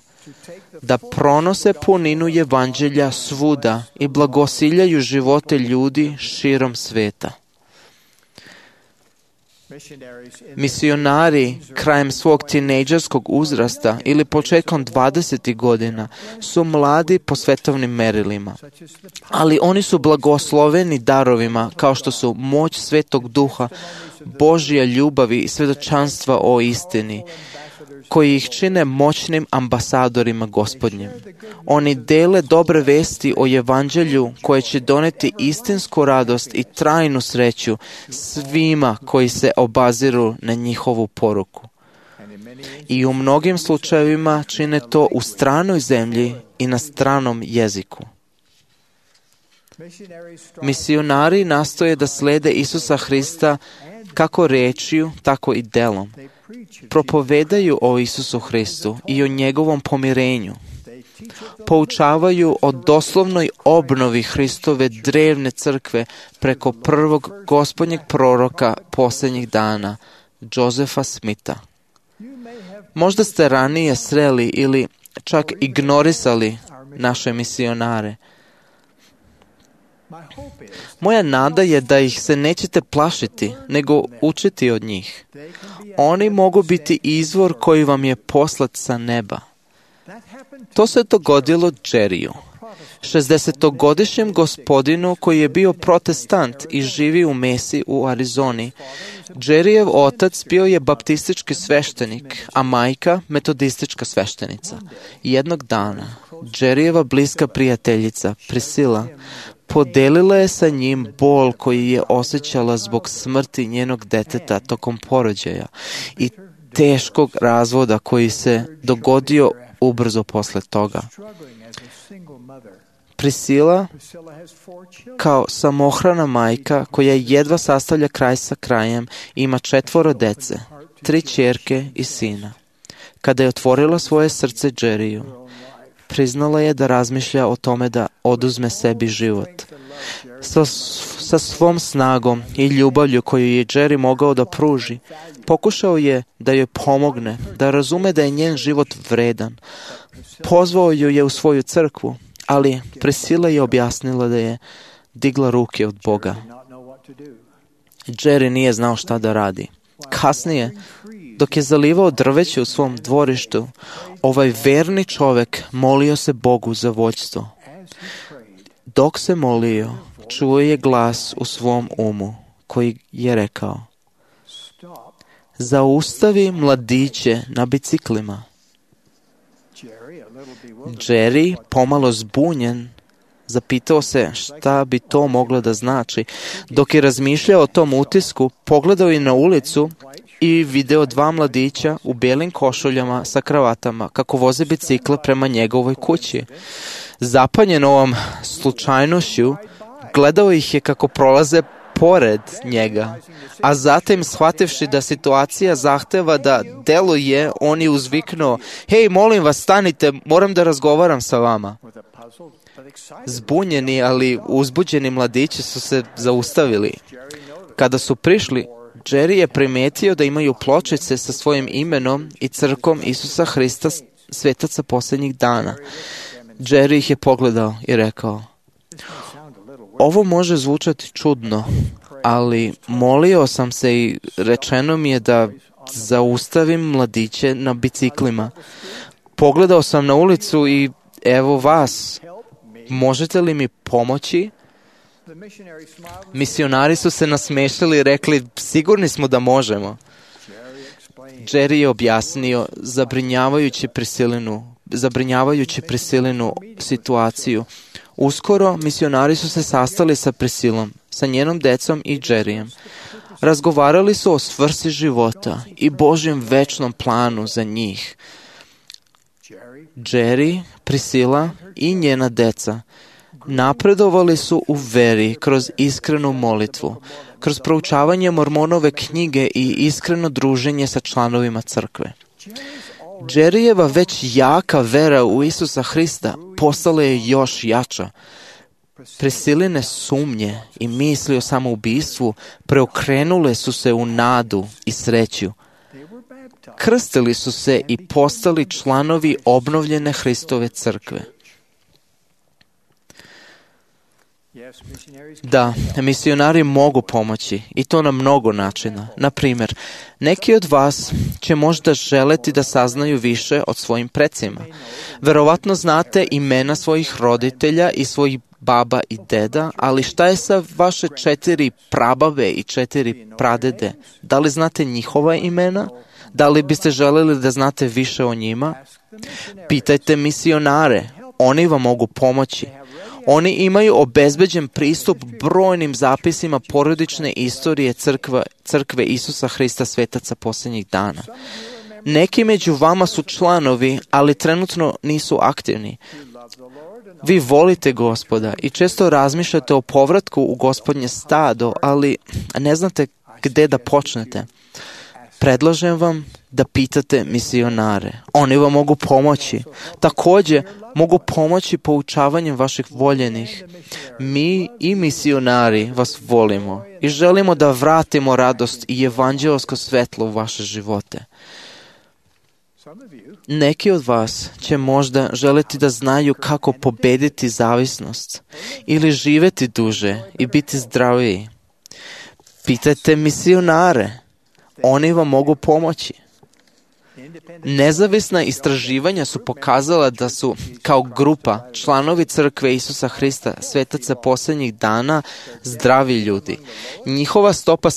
[SPEAKER 4] da pronose puninu evanđelja svuda i blagosiljaju živote ljudi širom sveta. Misionari krajem svog tinejdžerskog uzrasta ili početkom 20. godina su mladi po svetovnim merilima, ali oni su blagosloveni darovima kao što su moć Svetog Duha, Božja ljubavi i svjedočanstva o istini, koji ih čine moćnim ambasadorima Gospodnjim. Oni dele dobre vesti o evanđelju koje će doneti istinsku radost i trajnu sreću svima koji se obaziru na njihovu poruku. I u mnogim slučajevima čine to u stranoj zemlji i na stranom jeziku. Misionari nastoje da slede Isusa Hrista kako rečju, tako i delom. Propovedaju o Isusu Hristu i o njegovom pomirenju. Poučavaju o doslovnoj obnovi Hristove drevne crkve preko prvog Gospodnjeg proroka posljednjih dana, Josefa Smitha. Možda ste ranije sreli ili čak ignorisali naše misionare. Moja nada je da ih se nećete plašiti, nego učiti od njih. Oni mogu biti izvor koji vam je poslat sa neba. To se dogodilo Jerryu, 60-godišnjem gospodinu koji je bio protestant i živi u Mesi u Arizoni. Jerryjev otac bio je baptistički sveštenik, a majka metodistička sveštenica. Jednog dana, Jerryjeva bliska prijateljica, Priscilla, podelila je sa njim bol koji je osjećala zbog smrti njenog deteta tokom porođaja i teškog razvoda koji se dogodio ubrzo posle toga. Priscilla, kao samohrana majka koja jedva sastavlja kraj sa krajem, ima 4 dece, 3 ćerke i sina. Kada je otvorila svoje srce Jerryu, priznala je da razmišlja o tome da oduzme sebi život. Sa svom snagom i ljubavlju koju je Jerry mogao da pruži, pokušao je da joj pomogne, da razume da je njen život vredan. Pozvao ju je u svoju crkvu, ali Priscilla je objasnila da je digla ruke od Boga. Jerry nije znao šta da radi. Kasnije, dok je zalivao drveće u svom dvorištu, ovaj verni čovek molio se Bogu za vođstvo. Dok se molio, čuo je glas u svom umu koji je rekao: zaustavi mladiće na biciklima. Jerry, pomalo zbunjen, zapitao se šta bi to moglo da znači. Dok je razmišljao o tom utisku, pogledao je na ulicu i video dva mladića u belim košuljama sa kravatama kako voze bicikle prema njegovoj kući. Zapanjen ovom slučajnošću, gledao ih je kako prolaze pored njega, a zatim, shvativši da situacija zahteva da deluje, on je uzviknuo: hej, molim vas, stanite, moram da razgovaram sa vama. Zbunjeni, ali uzbuđeni mladići su se zaustavili. Kada su prišli, Jerry je primetio da imaju pločice sa svojim imenom i crkom Isusa Hrista, svetaca posljednjih dana. Jerry ih je pogledao i rekao: ovo može zvučati čudno, ali molio sam se i rečeno mi je da zaustavim mladiće na biciklima. Pogledao sam na ulicu i evo vas. Možete li mi pomoći? Misionari su se nasmešili i rekli: sigurni smo da možemo. Jerry je objasnio zabrinjavajući Priscilinu situaciju. Uskoro misionari su se sastali sa Priscilom, sa njenom decom i Jerryjem. Razgovarali su o svrsi života i Božjem večnom planu za njih. Jerry, Priscilla i njena deca napredovali su u veri kroz iskrenu molitvu, kroz proučavanje Mormonove knjige i iskreno druženje sa članovima crkve. Jerryjeva već jaka vera u Isusa Hrista postala je još jača. Prisciline sumnje i misli o samoubistvu preokrenule su se u nadu i sreću. Krstili su se i postali članovi obnovljene Hristove crkve. Da, misionari mogu pomoći i to na mnogo načina. Na primjer, neki od vas će možda želeti da saznaju više o svojim precima. Verovatno znate imena svojih roditelja i svojih baba i deda, ali šta je sa vaše 4 prababe i 4 pradede? Da li znate njihova imena? Da li biste želeli da znate više o njima? Pitajte misionare, oni vam mogu pomoći. Oni imaju obezbeđen pristup brojnim zapisima porodične istorije crkve Isusa Hrista, svetaca posljednjih dana. Neki među vama su članovi, ali trenutno nisu aktivni. Vi volite Gospoda i često razmišljate o povratku u Gospodnje stado, ali ne znate gde da počnete. Predlažem vam da pitate misionare. Oni vam mogu pomoći. Također, mogu pomoći poučavanjem vaših voljenih. Mi i misionari vas volimo i želimo da vratimo radost i evanđelsko svetlo u vaše živote. Neki od vas će možda želeti da znaju kako pobediti zavisnost ili živjeti duže i biti zdraviji. Pitajte misionare. Oni vam mogu pomoći. Nezavisna istraživanja su pokazala da su kao grupa članovi crkve Isusa Hrista, svetaca posljednjih dana, zdravi ljudi. Njihova stopa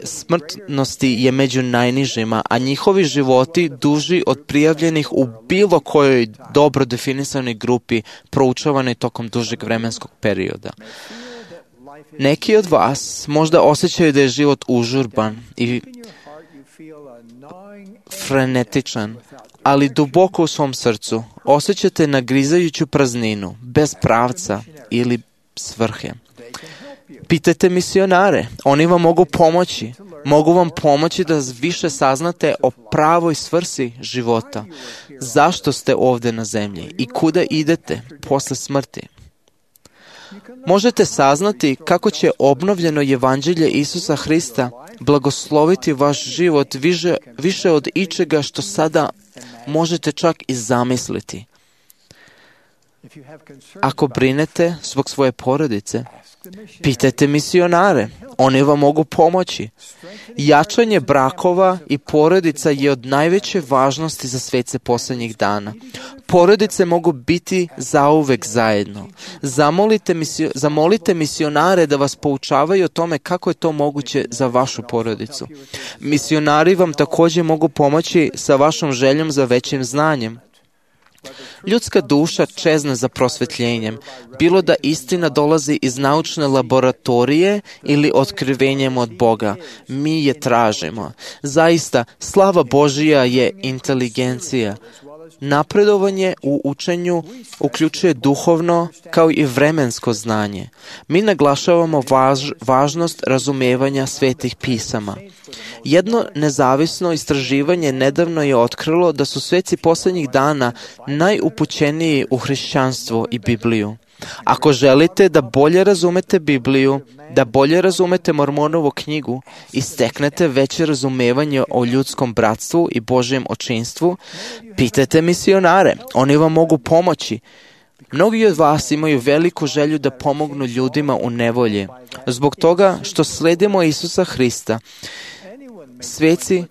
[SPEAKER 4] smrtnosti je među najnižima, a njihovi životi duži od prijavljenih u bilo kojoj dobro definisanoj grupi proučavanoj tokom dužeg vremenskog perioda. Neki od vas možda osjećaju da je život užurban i frenetičan, ali duboko u svom srcu osjećate nagrizajuću prazninu, bez pravca ili svrhe. Pitajte misionare, oni vam mogu pomoći. Mogu vam pomoći da više saznate o pravoj svrsi života. Zašto ste ovdje na zemlji i kuda idete posle smrti? možete saznati kako će obnovljeno evanđelje Isusa Hrista blagosloviti vaš život više od ičega što sada možete čak i zamisliti. Ako brinete zbog svoje porodice, pitajte misionare, oni vam mogu pomoći. Jačanje brakova i porodica je od najveće važnosti za svece posljednjih dana. Porodice mogu biti zauvek zajedno. Zamolite misionare da vas poučavaju o tome kako je to moguće za vašu porodicu. Misionari vam također mogu pomoći sa vašom željom za većim znanjem. Ljudska duša čezne za prosvjetljenjem, bilo da istina dolazi iz naučne laboratorije ili otkrivenjem od Boga. Mi je tražimo. Zaista, slava Božija je inteligencija. Napredovanje u učenju uključuje duhovno kao i vremensko znanje. Mi naglašavamo važnost razumijevanja svetih pisama. Jedno nezavisno istraživanje nedavno je otkrilo da su sveci posljednjih dana najupućeniji u hrišćanstvo i Bibliju. Ako želite da bolje razumete Bibliju, da bolje razumete Mormonovu knjigu i steknete veće razumevanje o ljudskom bratstvu i Božjem očinstvu, pitajte misionare, oni vam mogu pomoći. Mnogi od vas imaju veliku želju da pomognu ljudima u nevolji. Zbog toga što sledimo Isusa Hrista, sveci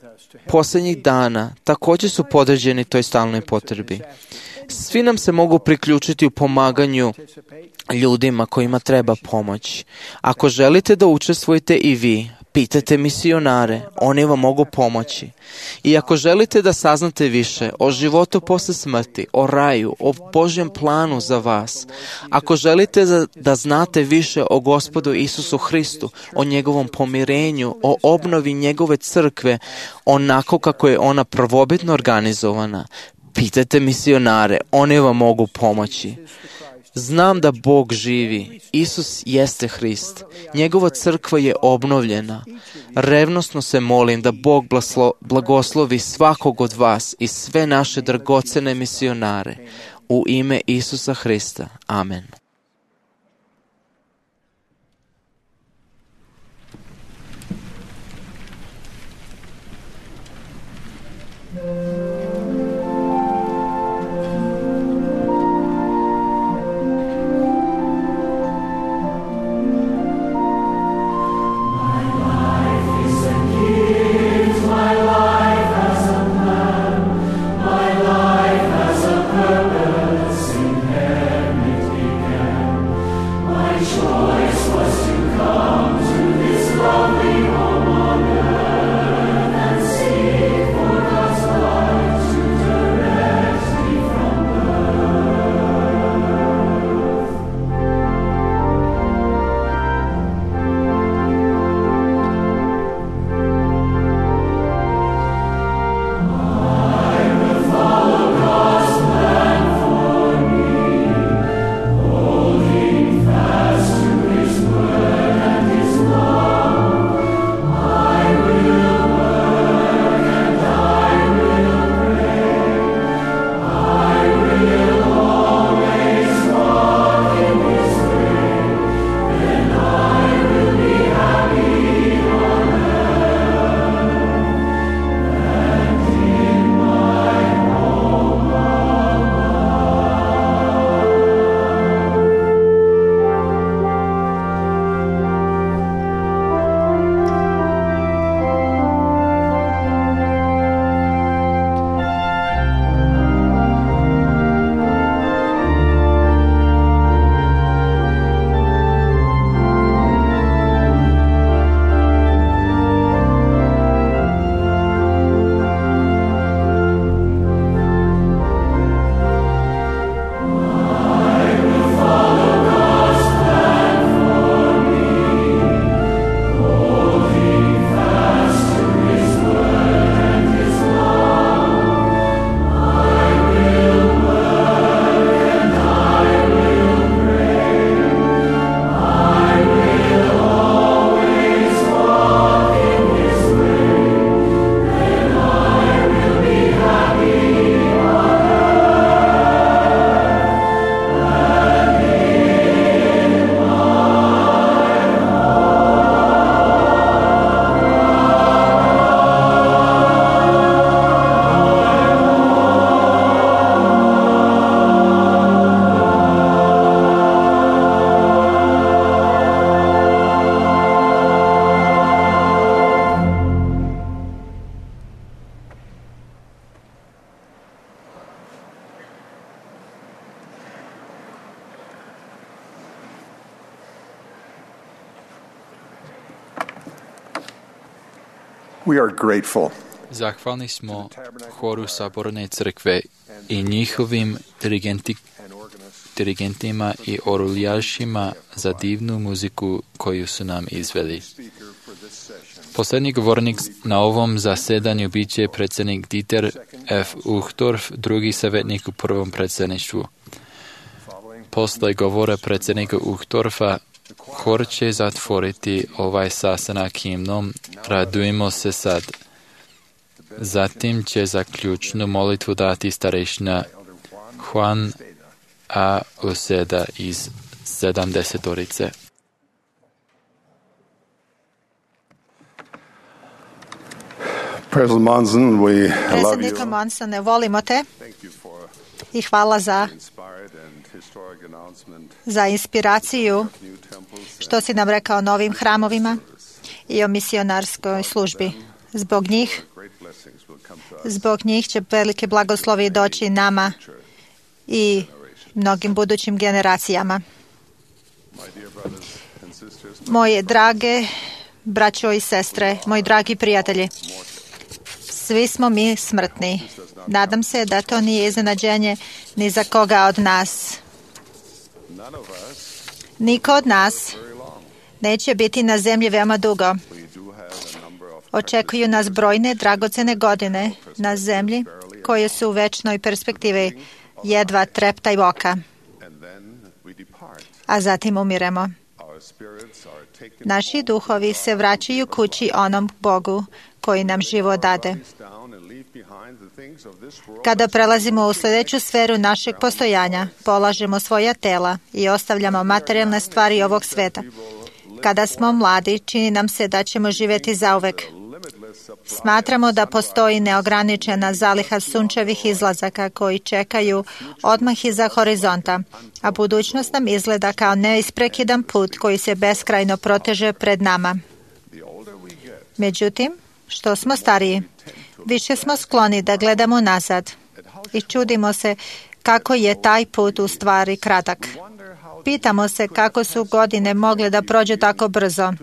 [SPEAKER 4] posljednjih dana također su podređeni toj stalnoj potrebi. Svi nam se mogu priključiti u pomaganju ljudima kojima treba pomoć. Ako želite da učestvujete i vi, pitajte misionare, oni vam mogu pomoći. I ako želite da saznate više o životu posle smrti, o raju, o Božjem planu za vas, ako želite da znate više o Gospodu Isusu Hristu, o njegovom pomirenju, o obnovi njegove crkve, onako kako je ona prvobitno organizovana, pitajte misionare, oni vam mogu pomoći. Znam da Bog živi. Isus jeste Hrist. Njegova crkva je obnovljena. Revnosno se molim da Bog blagoslovi svakog od vas i sve naše dragocene misionare. U ime Isusa Hrista. Amen.
[SPEAKER 10] Purpose in eternity.
[SPEAKER 5] We are grateful
[SPEAKER 2] Zahvalni smo horu Saborne crkve i njihovim dirigentima i oruljašima za divnu muziku koju su nam izveli. Posljednji govornik na ovom zasedanju bit će predsjednik Dieter F. Uchtdorf, drugi savjetnik u prvom predsjedništvu. Posle govora predsjednika Uchtdorfa, hor će zatvoriti ovaj sastanak himnom Radujmo se sad. Zatim će zaključnu molitvu dati starešina Juan A. Useda iz 70-orice.
[SPEAKER 5] President Monson, we love
[SPEAKER 8] Predsjednika
[SPEAKER 5] you.
[SPEAKER 8] Monsone, volimo te i hvala za inspiraciju što si nam rekao o novim hramovima i o misionarskoj službi. Zbog njih će velike blagoslovi doći nama i mnogim budućim generacijama. Moje drage braćo i sestre, moji dragi prijatelji, svi smo mi smrtni. Nadam se da to nije iznenađenje ni za koga od nas. Niko od nas neće biti na zemlji veoma dugo. Očekuju nas brojne dragocene godine na zemlji koje su u večnoj perspektivi jedva treptaj oka. A zatim umiremo. Naši duhovi se vraćaju kući onom Bogu koji nam život dade. Kada prelazimo u sljedeću sferu našeg postojanja, polažemo svoja tela i ostavljamo materijalne stvari ovog sveta. Kada smo mladi, čini nam se da ćemo živjeti zauvek. Smatramo da postoji neograničena zaliha sunčevih izlazaka koji čekaju odmah iza horizonta, a budućnost nam izgleda kao neisprekidan put koji se beskrajno proteže pred nama. Međutim, što smo stariji, više smo skloni da gledamo nazad i čudimo se kako je taj put u stvari kratak. Pitamo se kako su godine mogle da prođu tako brzo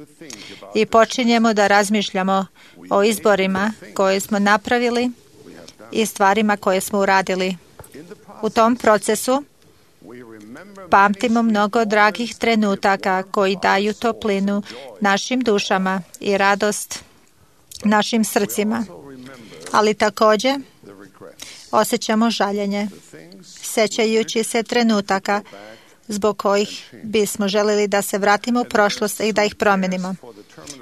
[SPEAKER 8] i počinjemo da razmišljamo o izborima koje smo napravili i stvarima koje smo uradili. U tom procesu pamtimo mnogo dragih trenutaka koji daju toplinu našim dušama i radost našim srcima. Ali također osjećamo žaljenje, sećajući se trenutaka zbog kojih bismo željeli da se vratimo u prošlost i da ih promijenimo.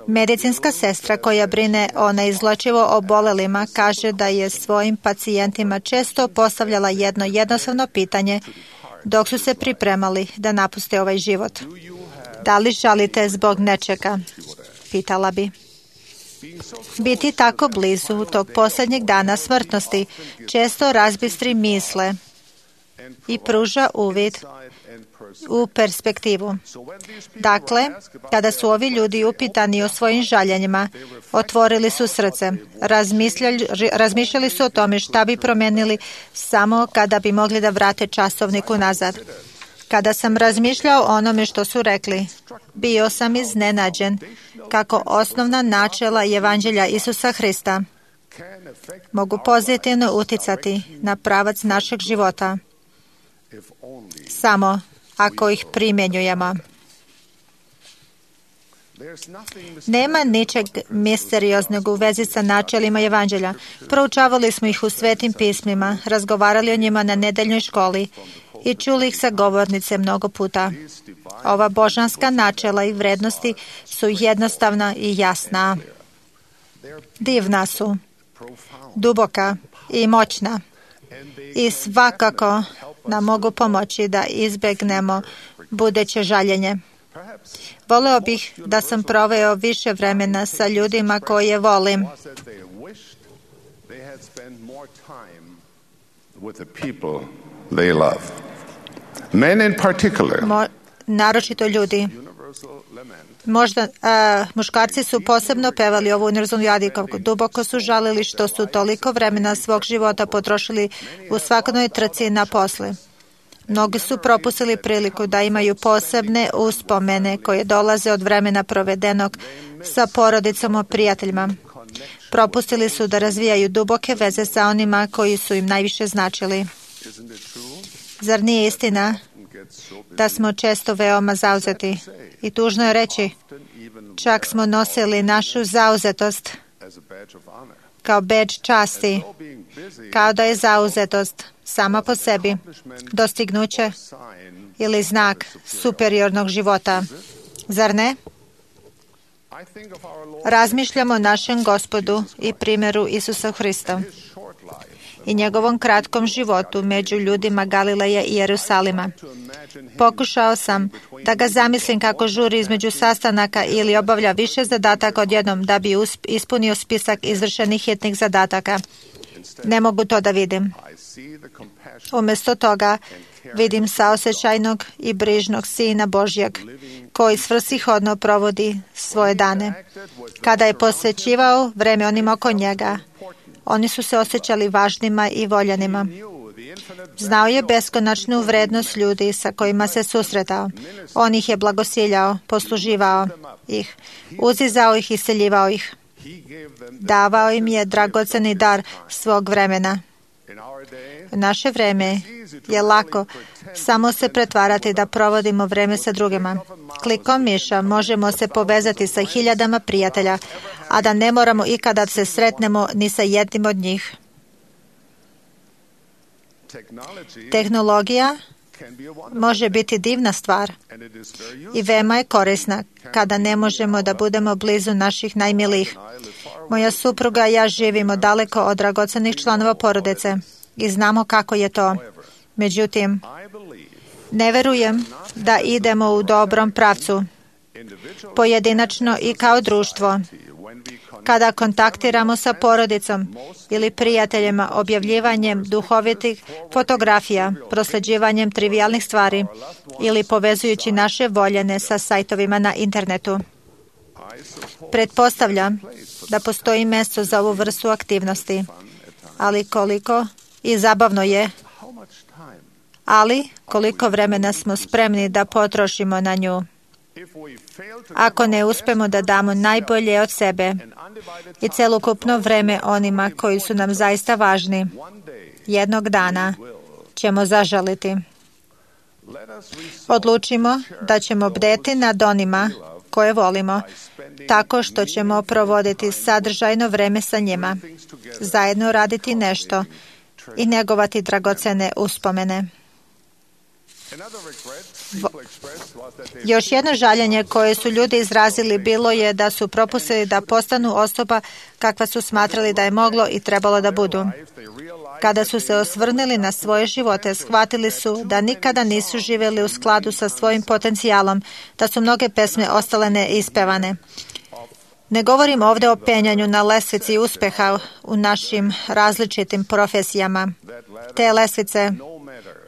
[SPEAKER 8] Medicinska sestra koja brine o neizlečivo obolelima kaže da je svojim pacijentima često postavljala jedno jednostavno pitanje dok su se pripremali da napuste ovaj život. Da li žalite zbog nečega? Pitala bi. Biti tako blizu tog posljednjeg dana smrtnosti često razbistri misle i pruža uvid u perspektivu. Dakle, kada su ovi ljudi upitani o svojim žaljenjima, otvorili su srce, razmišljali su o tome šta bi promenili samo kada bi mogli da vrate časovniku nazad. Kada sam razmišljao o onome što su rekli, bio sam iznenađen kako osnovna načela Evanđelja Isusa Hrista mogu pozitivno uticati na pravac našeg života samo ako ih primjenjujemo. Nema ničeg misterioznog u vezi sa načelima Evanđelja. Proučavali smo ih u svetim pismima, razgovarali o njima na nedeljnoj školi i čuli ih sa govornice mnogo puta. Ova božanska načela i vrednosti su jednostavna i jasna. Divna su, duboka i moćna i svakako nam mogu pomoći da izbegnemo buduće žaljenje. Voleo bih da sam proveo više vremena sa ljudima koje volim. Naročito ljudi. Možda muškarci su posebno pevali ovu univerzalnu jadikovku. Duboko su žalili što su toliko vremena svog života potrošili u svakodnevnoj trci na posle. Mnogi su propustili priliku da imaju posebne uspomene koje dolaze od vremena provedenog sa porodicom i prijateljima. Propustili su da razvijaju duboke veze sa onima koji su im najviše značili. Zar nije istina da smo često veoma zauzeti? I tužno je reći, čak smo nosili našu zauzetost kao bedž časti, kao da je zauzetost sama po sebi dostignuće ili znak superiornog života. Zar ne? Razmišljamo o našem Gospodu i primjeru Isusa Hrista i njegovom kratkom životu među ljudima Galileja i Jerusalima. Pokušao sam da ga zamislim kako žuri između sastanaka ili obavlja više zadataka odjednom da bi ispunio spisak izvršenih hitnih zadataka. Ne mogu to da vidim. Umjesto toga vidim saosećajnog i brižnog Sina Božjeg koji svrsishodno provodi svoje dane. Kada je posvećivao vreme onima oko njega, oni su se osjećali važnima i voljenima. Znao je beskonačnu vrednost ljudi sa kojima se susretao. On ih je blagosiljao, posluživao ih, uzizao ih i iseljivao ih. Davao im je dragoceni dar svog vremena. U naše vreme je lako samo se pretvarati da provodimo vreme sa drugima. Klikom miša možemo se povezati sa hiljadama prijatelja, a da ne moramo ikada se sretnemo ni sa jednim od njih. Tehnologija može biti divna stvar i veoma je korisna kada ne možemo da budemo blizu naših najmilijih. Moja supruga i ja živimo daleko od dragocenih članova porodice i znamo kako je to. Međutim, ne verujem da idemo u dobrom pravcu, pojedinačno i kao društvo. Kada kontaktiramo sa porodicom ili prijateljima objavljivanjem duhovitih fotografija, prosljeđivanjem trivijalnih stvari ili povezujući naše voljene sa sajtovima na internetu. Pretpostavljam da postoji mjesto za ovu vrstu aktivnosti, ali koliko i zabavno je, ali koliko vremena smo spremni da potrošimo na nju. Ako ne uspemo da damo najbolje od sebe i celokupno vreme onima koji su nam zaista važni, jednog dana ćemo zažaliti. Odlučimo da ćemo bdeti nad onima koje volimo, tako što ćemo provoditi sadržajno vreme sa njima, zajedno raditi nešto i njegovati dragocene uspomene. Još jedno žaljenje koje su ljudi izrazili bilo je da su propustili da postanu osoba kakva su smatrali da je moglo i trebalo da budu. Kada su se osvrnuli na svoje živote, shvatili su da nikada nisu živjeli u skladu sa svojim potencijalom, da su mnoge pesme ostale neispevane. Ne govorim ovdje o penjanju na lestvici uspeha u našim različitim profesijama. Te lestvice,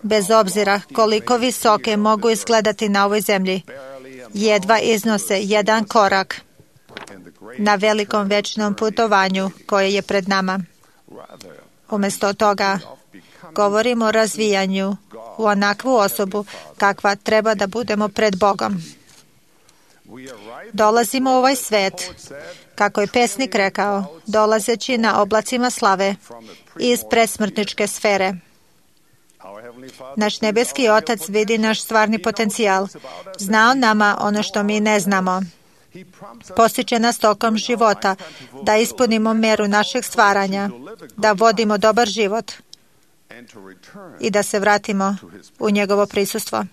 [SPEAKER 8] bez obzira koliko visoke mogu izgledati na ovoj zemlji, jedva iznose jedan korak na velikom večnom putovanju koje je pred nama. Umjesto toga, govorimo o razvijanju u onakvu osobu kakva treba da budemo pred Bogom. Dolazimo u ovaj svet, kako je pesnik rekao, dolazeći na oblacima slave iz predsmrtničke sfere. Naš nebeski Otac vidi naš stvarni potencijal. Zna on nama ono što mi ne znamo. Postiče nas tokom života da ispunimo meru našeg stvaranja, da vodimo dobar život i da se vratimo u njegovo prisustvo.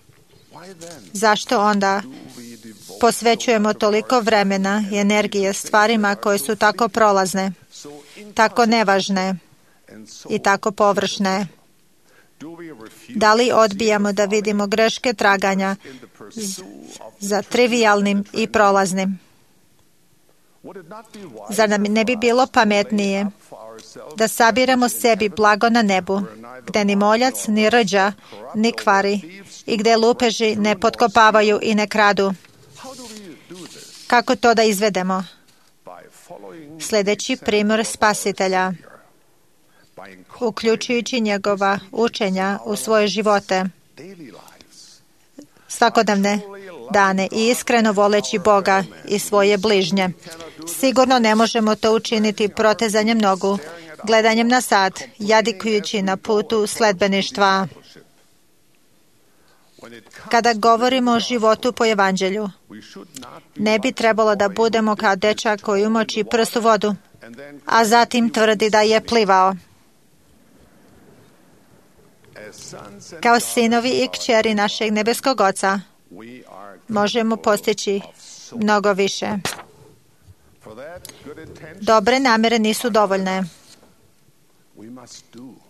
[SPEAKER 8] Zašto onda posvećujemo toliko vremena i energije stvarima koje su tako prolazne, tako nevažne i tako površne? Da li odbijamo da vidimo greške traganja za trivijalnim i prolaznim? Zar nam ne bi bilo pametnije da sabiramo sebi blago na nebu, gde ni moljac, ni rđa, ni kvari i gde lupeži ne potkopavaju i ne kradu? Kako to da izvedemo? Sljedeći primjer Spasitelja, uključujući njegova učenja u svoje živote svakodnevne, dane i iskreno voleći Boga i svoje bližnje. Sigurno ne možemo to učiniti protezanjem nogu, gledanjem na sat, jadikujući na putu sledbeništva. Kada govorimo o životu po evanđelju, ne bi trebalo da budemo kao dečak koji umoči prst u vodu, a zatim tvrdi da je plivao. Kao sinovi i kćeri našeg nebeskog Oca možemo postići mnogo više. Dobre namere nisu dovoljne.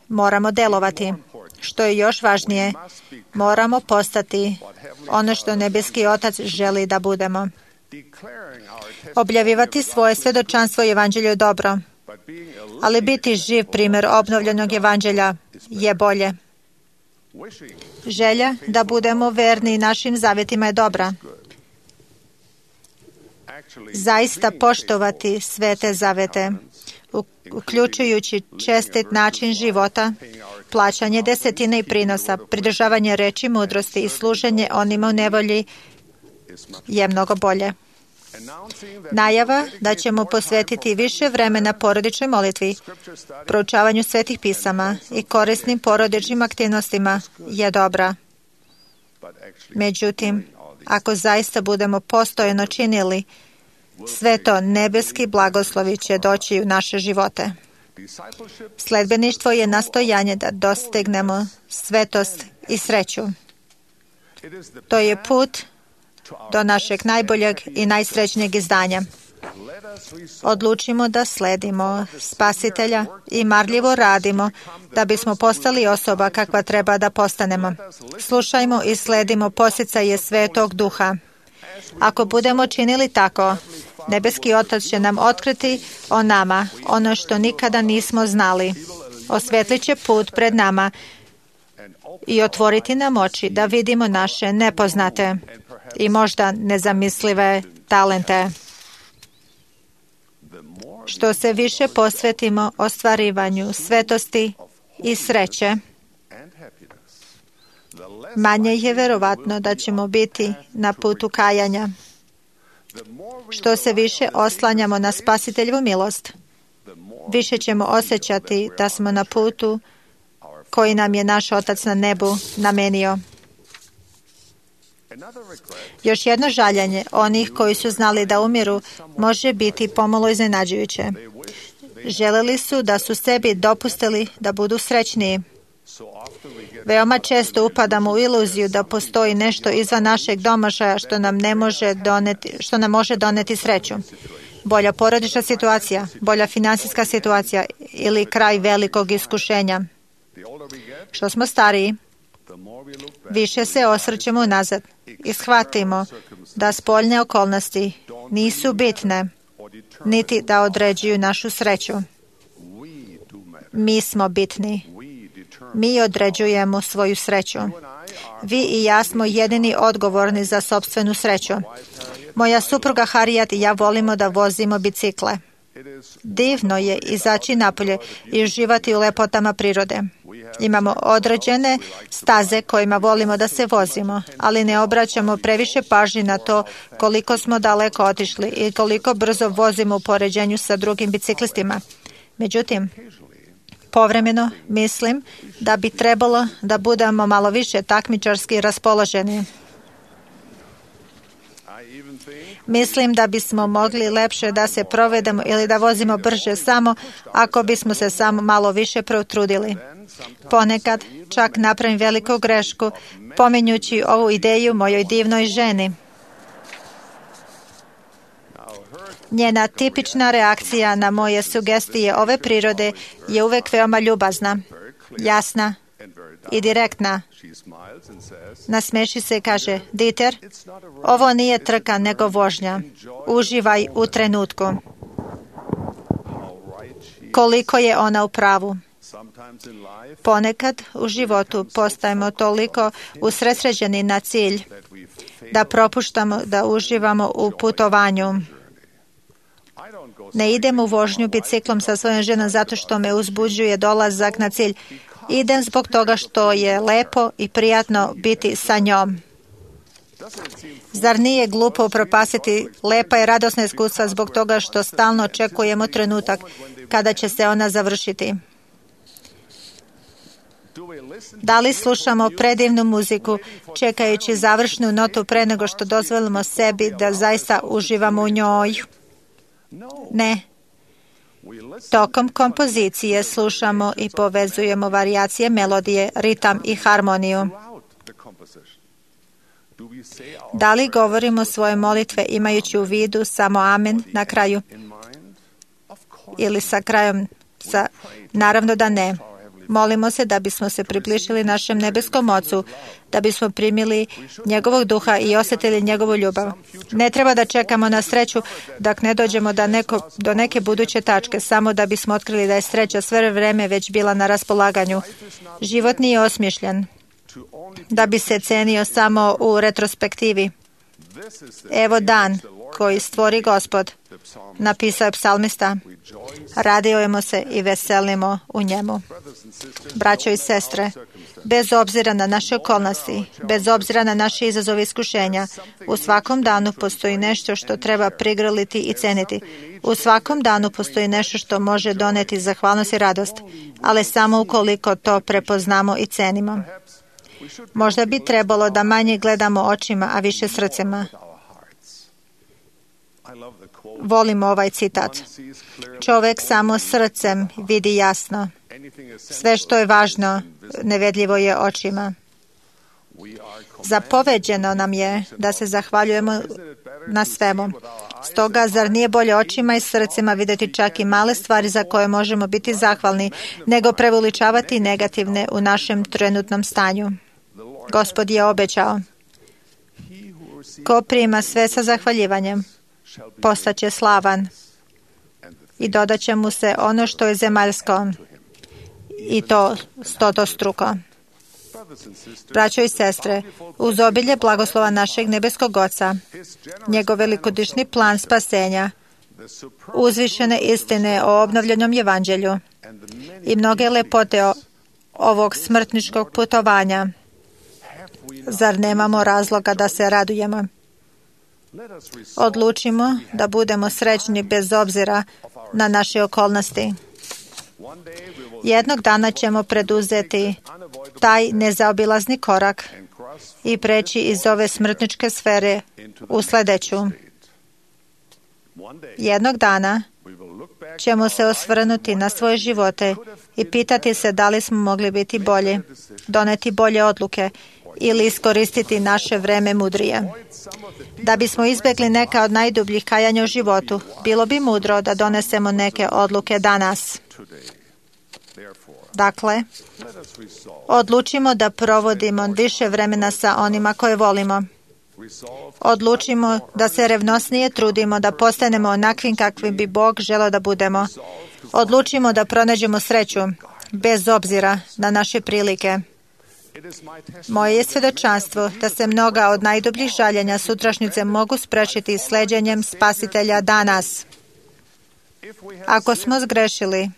[SPEAKER 8] Moramo delovati. Što je još važnije, moramo postati ono što nebeski Otac želi da budemo. Objavljivati svoje svjedočanstvo i evanđelju je dobro, ali biti živ primjer obnovljenog evanđelja je bolje. Želja da budemo verni našim zavjetima je dobra. Zaista poštovati sve te zavete, uključujući čestit način života, plaćanje desetine i prinosa, pridržavanje reči mudrosti i služenje onima u nevolji je mnogo bolje. Najava da ćemo posvetiti više vremena porodičnoj molitvi, proučavanju svetih pisama i korisnim porodičnim aktivnostima je dobra. Međutim, ako zaista budemo postojano činili, sve to nebeski blagoslovi će doći u naše živote. Sledbeništvo je nastojanje da dostignemo svetost i sreću. To je put do našeg najboljeg i najsrećnijeg izdanja. Odlučimo da sledimo Spasitelja i marljivo radimo da bismo postali osoba kakva treba da postanemo. Slušajmo i sledimo poticaje Svetog Duha. Ako budemo činili tako, nebeski Otac će nam otkriti o nama ono što nikada nismo znali. Osvetlit će put pred nama i otvoriti nam oči da vidimo naše nepoznate i možda nezamislive talente. Što se više posvetimo ostvarivanju svetosti i sreće, manje je verovatno da ćemo biti na putu kajanja. Što se više oslanjamo na Spasiteljevu milost, više ćemo osjećati da smo na putu koji nam je naš Otac na nebu namenio. Još jedno žaljenje onih koji su znali da umiru može biti pomalo iznenađujuće. Želeli su da su sebi dopustili da budu srećniji. Veoma često upadamo u iluziju da postoji nešto izvan našeg domašaja što nam može doneti sreću. Bolja porodična situacija, bolja finansijska situacija ili kraj velikog iskušenja. Što smo stariji, više se osvrćemo unazad i shvatimo da spoljne okolnosti nisu bitne, niti da određuju našu sreću. Mi smo bitni. Mi određujemo svoju sreću. Vi i ja smo jedini odgovorni za sopstvenu sreću. Moja supruga Harriet i ja volimo da vozimo bicikle. Divno je izaći napolje i uživati u lepotama prirode. Imamo određene staze kojima volimo da se vozimo, ali ne obraćamo previše pažnje na to koliko smo daleko otišli i koliko brzo vozimo u poređenju sa drugim biciklistima. Međutim, povremeno mislim da bi trebalo da budemo malo više takmičarski raspoloženi. Mislim da bismo mogli lepše da se provedemo ili da vozimo brže samo ako bismo se samo malo više potrudili. Ponekad čak napravim veliku grešku pominjući ovu ideju mojoj divnoj ženi. Njena tipična reakcija na moje sugestije ove prirode je uvek veoma ljubazna, jasna i direktna. Nasmeši se i kaže: Dieter, ovo nije trka nego vožnja. Uživaj u trenutku. Koliko je ona u pravu. Ponekad u životu postajemo toliko usredsređeni na cilj da propuštamo da uživamo u putovanju. Ne idem u vožnju biciklom sa svojom ženom zato što me uzbuđuje dolazak na cilj. Idem zbog toga što je lepo i prijatno biti sa njom. Zar nije glupo upropastiti lepa i radosna iskustva zbog toga što stalno očekujemo trenutak kada će se ona završiti? Da li slušamo predivnu muziku čekajući završnu notu pre nego što dozvolimo sebi da zaista uživamo u njoj? Ne. Tokom kompozicije slušamo i povezujemo varijacije melodije, ritam i harmoniju. Da li govorimo svoje molitve imajući u vidu samo amen na kraju? Ili sa krajom? Naravno da ne. Molimo se da bismo se približili našem nebeskom Ocu, da bismo primili njegovog duha i osjetili njegovu ljubav. Ne treba da čekamo na sreću dok ne dođemo do neke buduće tačke, samo da bismo otkrili da je sreća sve vreme već bila na raspolaganju. Život nije osmišljen da bi se cenio samo u retrospektivi. Evo dan koji stvori Gospod, napisao je psalmista. Radujemo se i veselimo u njemu. Braćo i sestre, bez obzira na naše okolnosti, bez obzira na naše izazove i iskušenja, u svakom danu postoji nešto što treba prigrliti i ceniti. U svakom danu postoji nešto što može doneti zahvalnost i radost, ali samo ukoliko to prepoznamo i cenimo. Možda bi trebalo da manje gledamo očima, a više srcima. Volim ovaj citat. Čovek samo srcem vidi jasno. Sve što je važno, nevedljivo je očima. Zapoveđeno nam je da se zahvaljujemo na svemu. Stoga, zar nije bolje očima i srcima vidjeti čak i male stvari za koje možemo biti zahvalni, nego preveličavati negativne u našem trenutnom stanju? Gospod je obećao. Ko prima sve sa zahvaljivanjem, postaće slavan i dodat će mu se ono što je zemaljsko i to stotostruko. Braćo i sestre, uz obilje blagoslova našeg nebeskog Oca, njegov velikodušni plan spasenja, uzvišene istine o obnovljenom evanđelju i mnoge lepote ovog smrtničkog putovanja, zar nemamo razloga da se radujemo? Odlučimo da budemo srećni bez obzira na naše okolnosti. Jednog dana ćemo preduzeti taj nezaobilazni korak i preći iz ove smrtničke sfere u sledeću. Jednog dana ćemo se osvrnuti na svoje živote i pitati se da li smo mogli biti bolji, doneti bolje odluke ili iskoristiti naše vreme mudrije. Da bismo izbjegli neka od najdubljih kajanja u životu, bilo bi mudro da donesemo neke odluke danas. Dakle, odlučimo da provodimo više vremena sa onima koje volimo. Odlučimo da se revnosnije trudimo da postanemo onakvim kakvim bi Bog želeo da budemo. Odlučimo da pronađemo sreću, bez obzira na naše prilike. Moje je svjedočanstvo da se mnoga od najdubljih žaljenja sutrašnjice mogu sprečiti sleđenjem Spasitelja danas. Ako smo zgrešili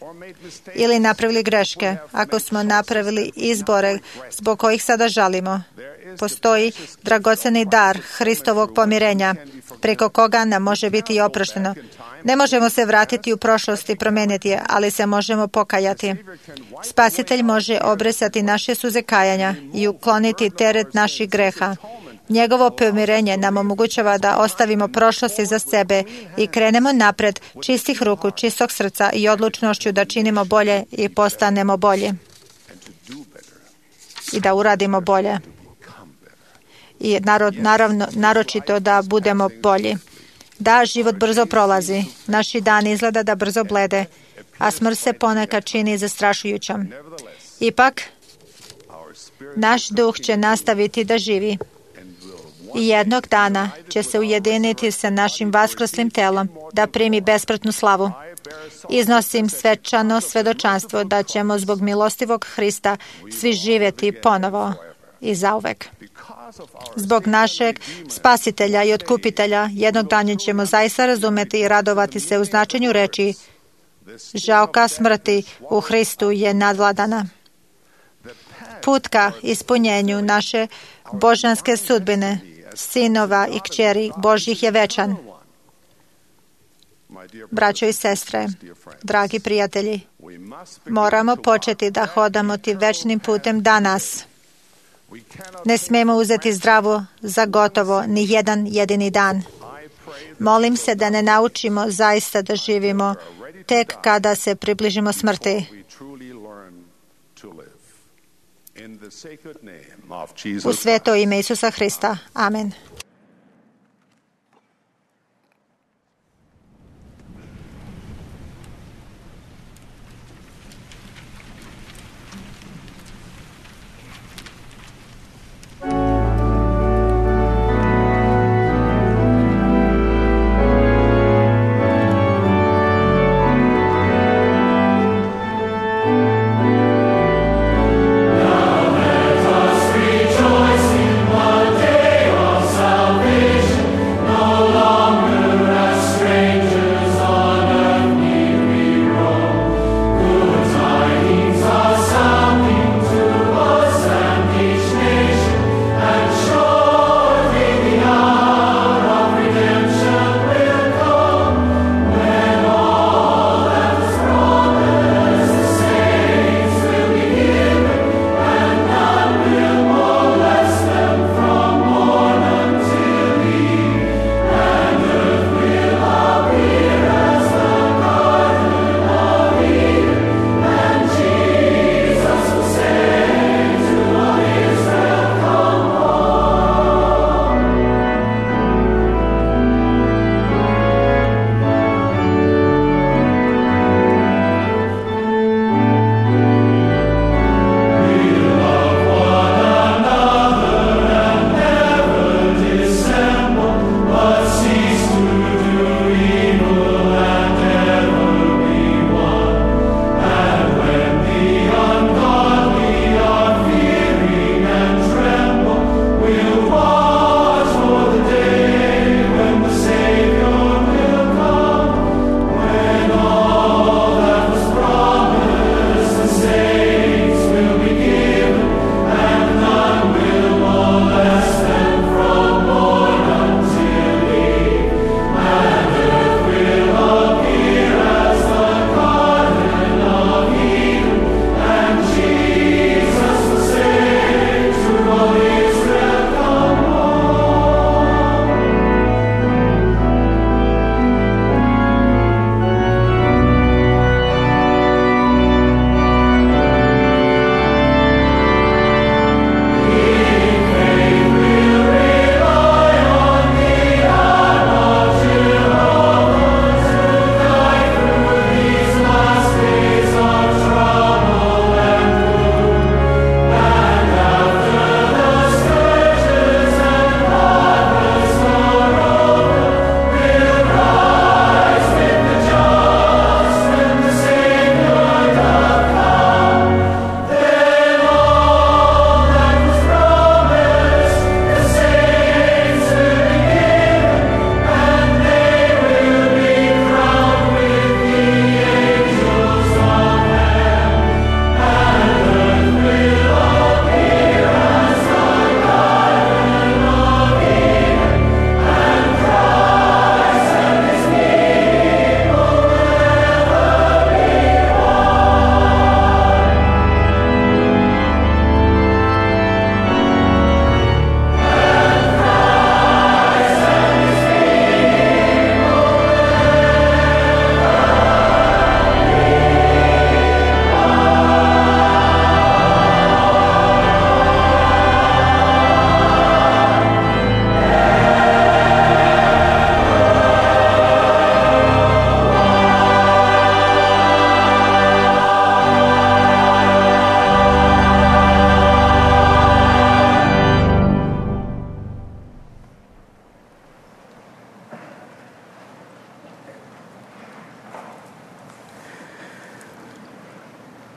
[SPEAKER 8] ili napravili greške, ako smo napravili izbore zbog kojih sada žalimo, postoji dragoceni dar Hristovog pomirenja, preko koga nam može biti i oprošteno. Ne možemo se vratiti u prošlost i promeniti je, ali se možemo pokajati. Spasitelj može obrisati naše suze kajanja i ukloniti teret naših greha. Njegovo pomirenje nam omogućava da ostavimo prošlost iza sebe i krenemo napred čistih ruku, čistog srca i odlučnošću da činimo bolje i postanemo bolji. I da uradimo bolje. I naročito da budemo bolji. Da, život brzo prolazi. Naši dani izgleda da brzo blede, a smrt se ponekad čini zastrašujućom. Ipak, naš duh će nastaviti da živi. I jednog dana će se ujediniti sa našim vaskrslim telom da primi bespratnu slavu. Iznosim svečano svedočanstvo da ćemo zbog milostivog Hrista svi živjeti ponovo i zauvek. Zbog našeg Spasitelja i Otkupitelja jednog dana ćemo zaista razumeti i radovati se u značenju reči žalka smrti u Hristu je nadvladana. Put ka ispunjenju naše božanske sudbine sinova i kćeri Božjih je večan. Braćo i sestre, dragi prijatelji, moramo početi da hodamo tim večnim putem danas. Ne smemo uzeti zdravo za gotovo ni jedan jedini dan. Molim se da ne naučimo zaista da živimo tek kada se približimo smrti. U sveto ime Isusa Hrista. Amen.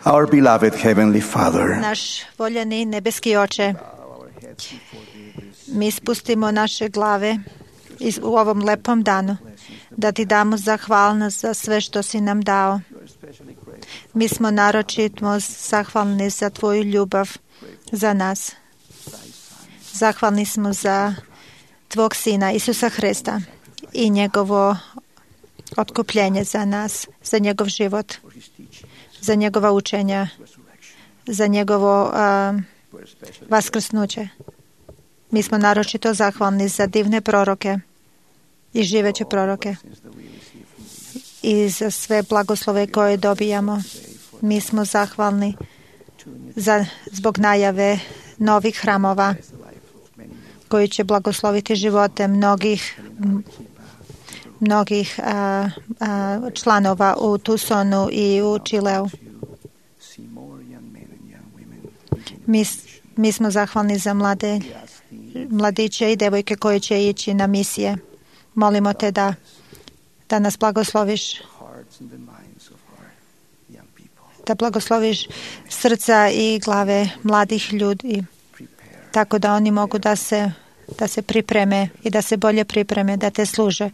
[SPEAKER 5] Our beloved Heavenly Father,
[SPEAKER 8] Naš voljeni nebeski Oče, mi spustimo naše glave u ovom lepom danu, da ti damo zahvalnost za sve što si nam dao. Mi smo naročito zahvalni za tvoju ljubav za nas. Zahvalni smo za tvog Sina Isusa Hrista i njegovo otkupljenje za nas, za njegov život, za njegova učenja, za njegovo vaskrsnuće. Mi smo naročito zahvalni za divne proroke i živeće proroke i za sve blagoslove koje dobijamo. Mi smo zahvalni zbog najave novih hramova koji će blagosloviti živote mnogih članova u Tucsonu i u Čileu. Mi smo zahvalni za mladiće i devojke koji će ići na misije. Molimo te da nas blagosloviš, da blagosloviš srca i glave mladih ljudi, tako da oni mogu da se pripreme i da se bolje pripreme, da te služe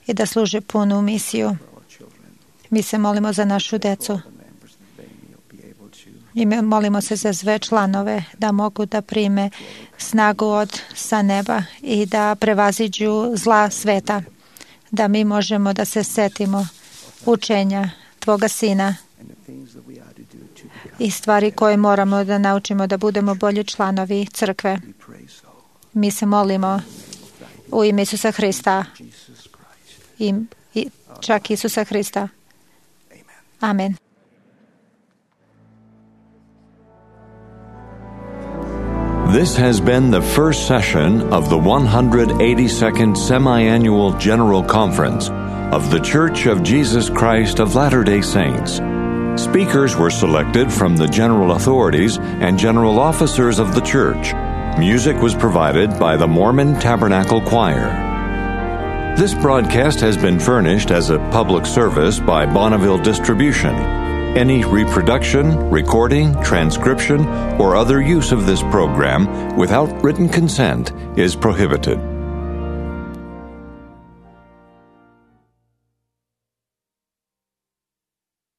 [SPEAKER 8] i da služe punu misiju. Mi se molimo za našu decu i molimo se za sve članove da mogu da prime snagu sa neba i da prevaziđu zla sveta, da mi možemo da se setimo učenja Tvoga Sina i stvari koje moramo da naučimo da budemo bolji članovi crkve. Mi se molimo u ime Isusa Hrista i čak Isusa Hrista. Amen.
[SPEAKER 1] This has been the first session of the 182nd Semi-Annual General Conference of The Church of Jesus Christ of Latter-day Saints. Speakers were selected from the general authorities and general officers of the church. Music was provided by the Mormon Tabernacle Choir. This broadcast has been furnished as a public service by Bonneville Distribution. Any reproduction, recording, transcription, or other use of this program without written consent is prohibited.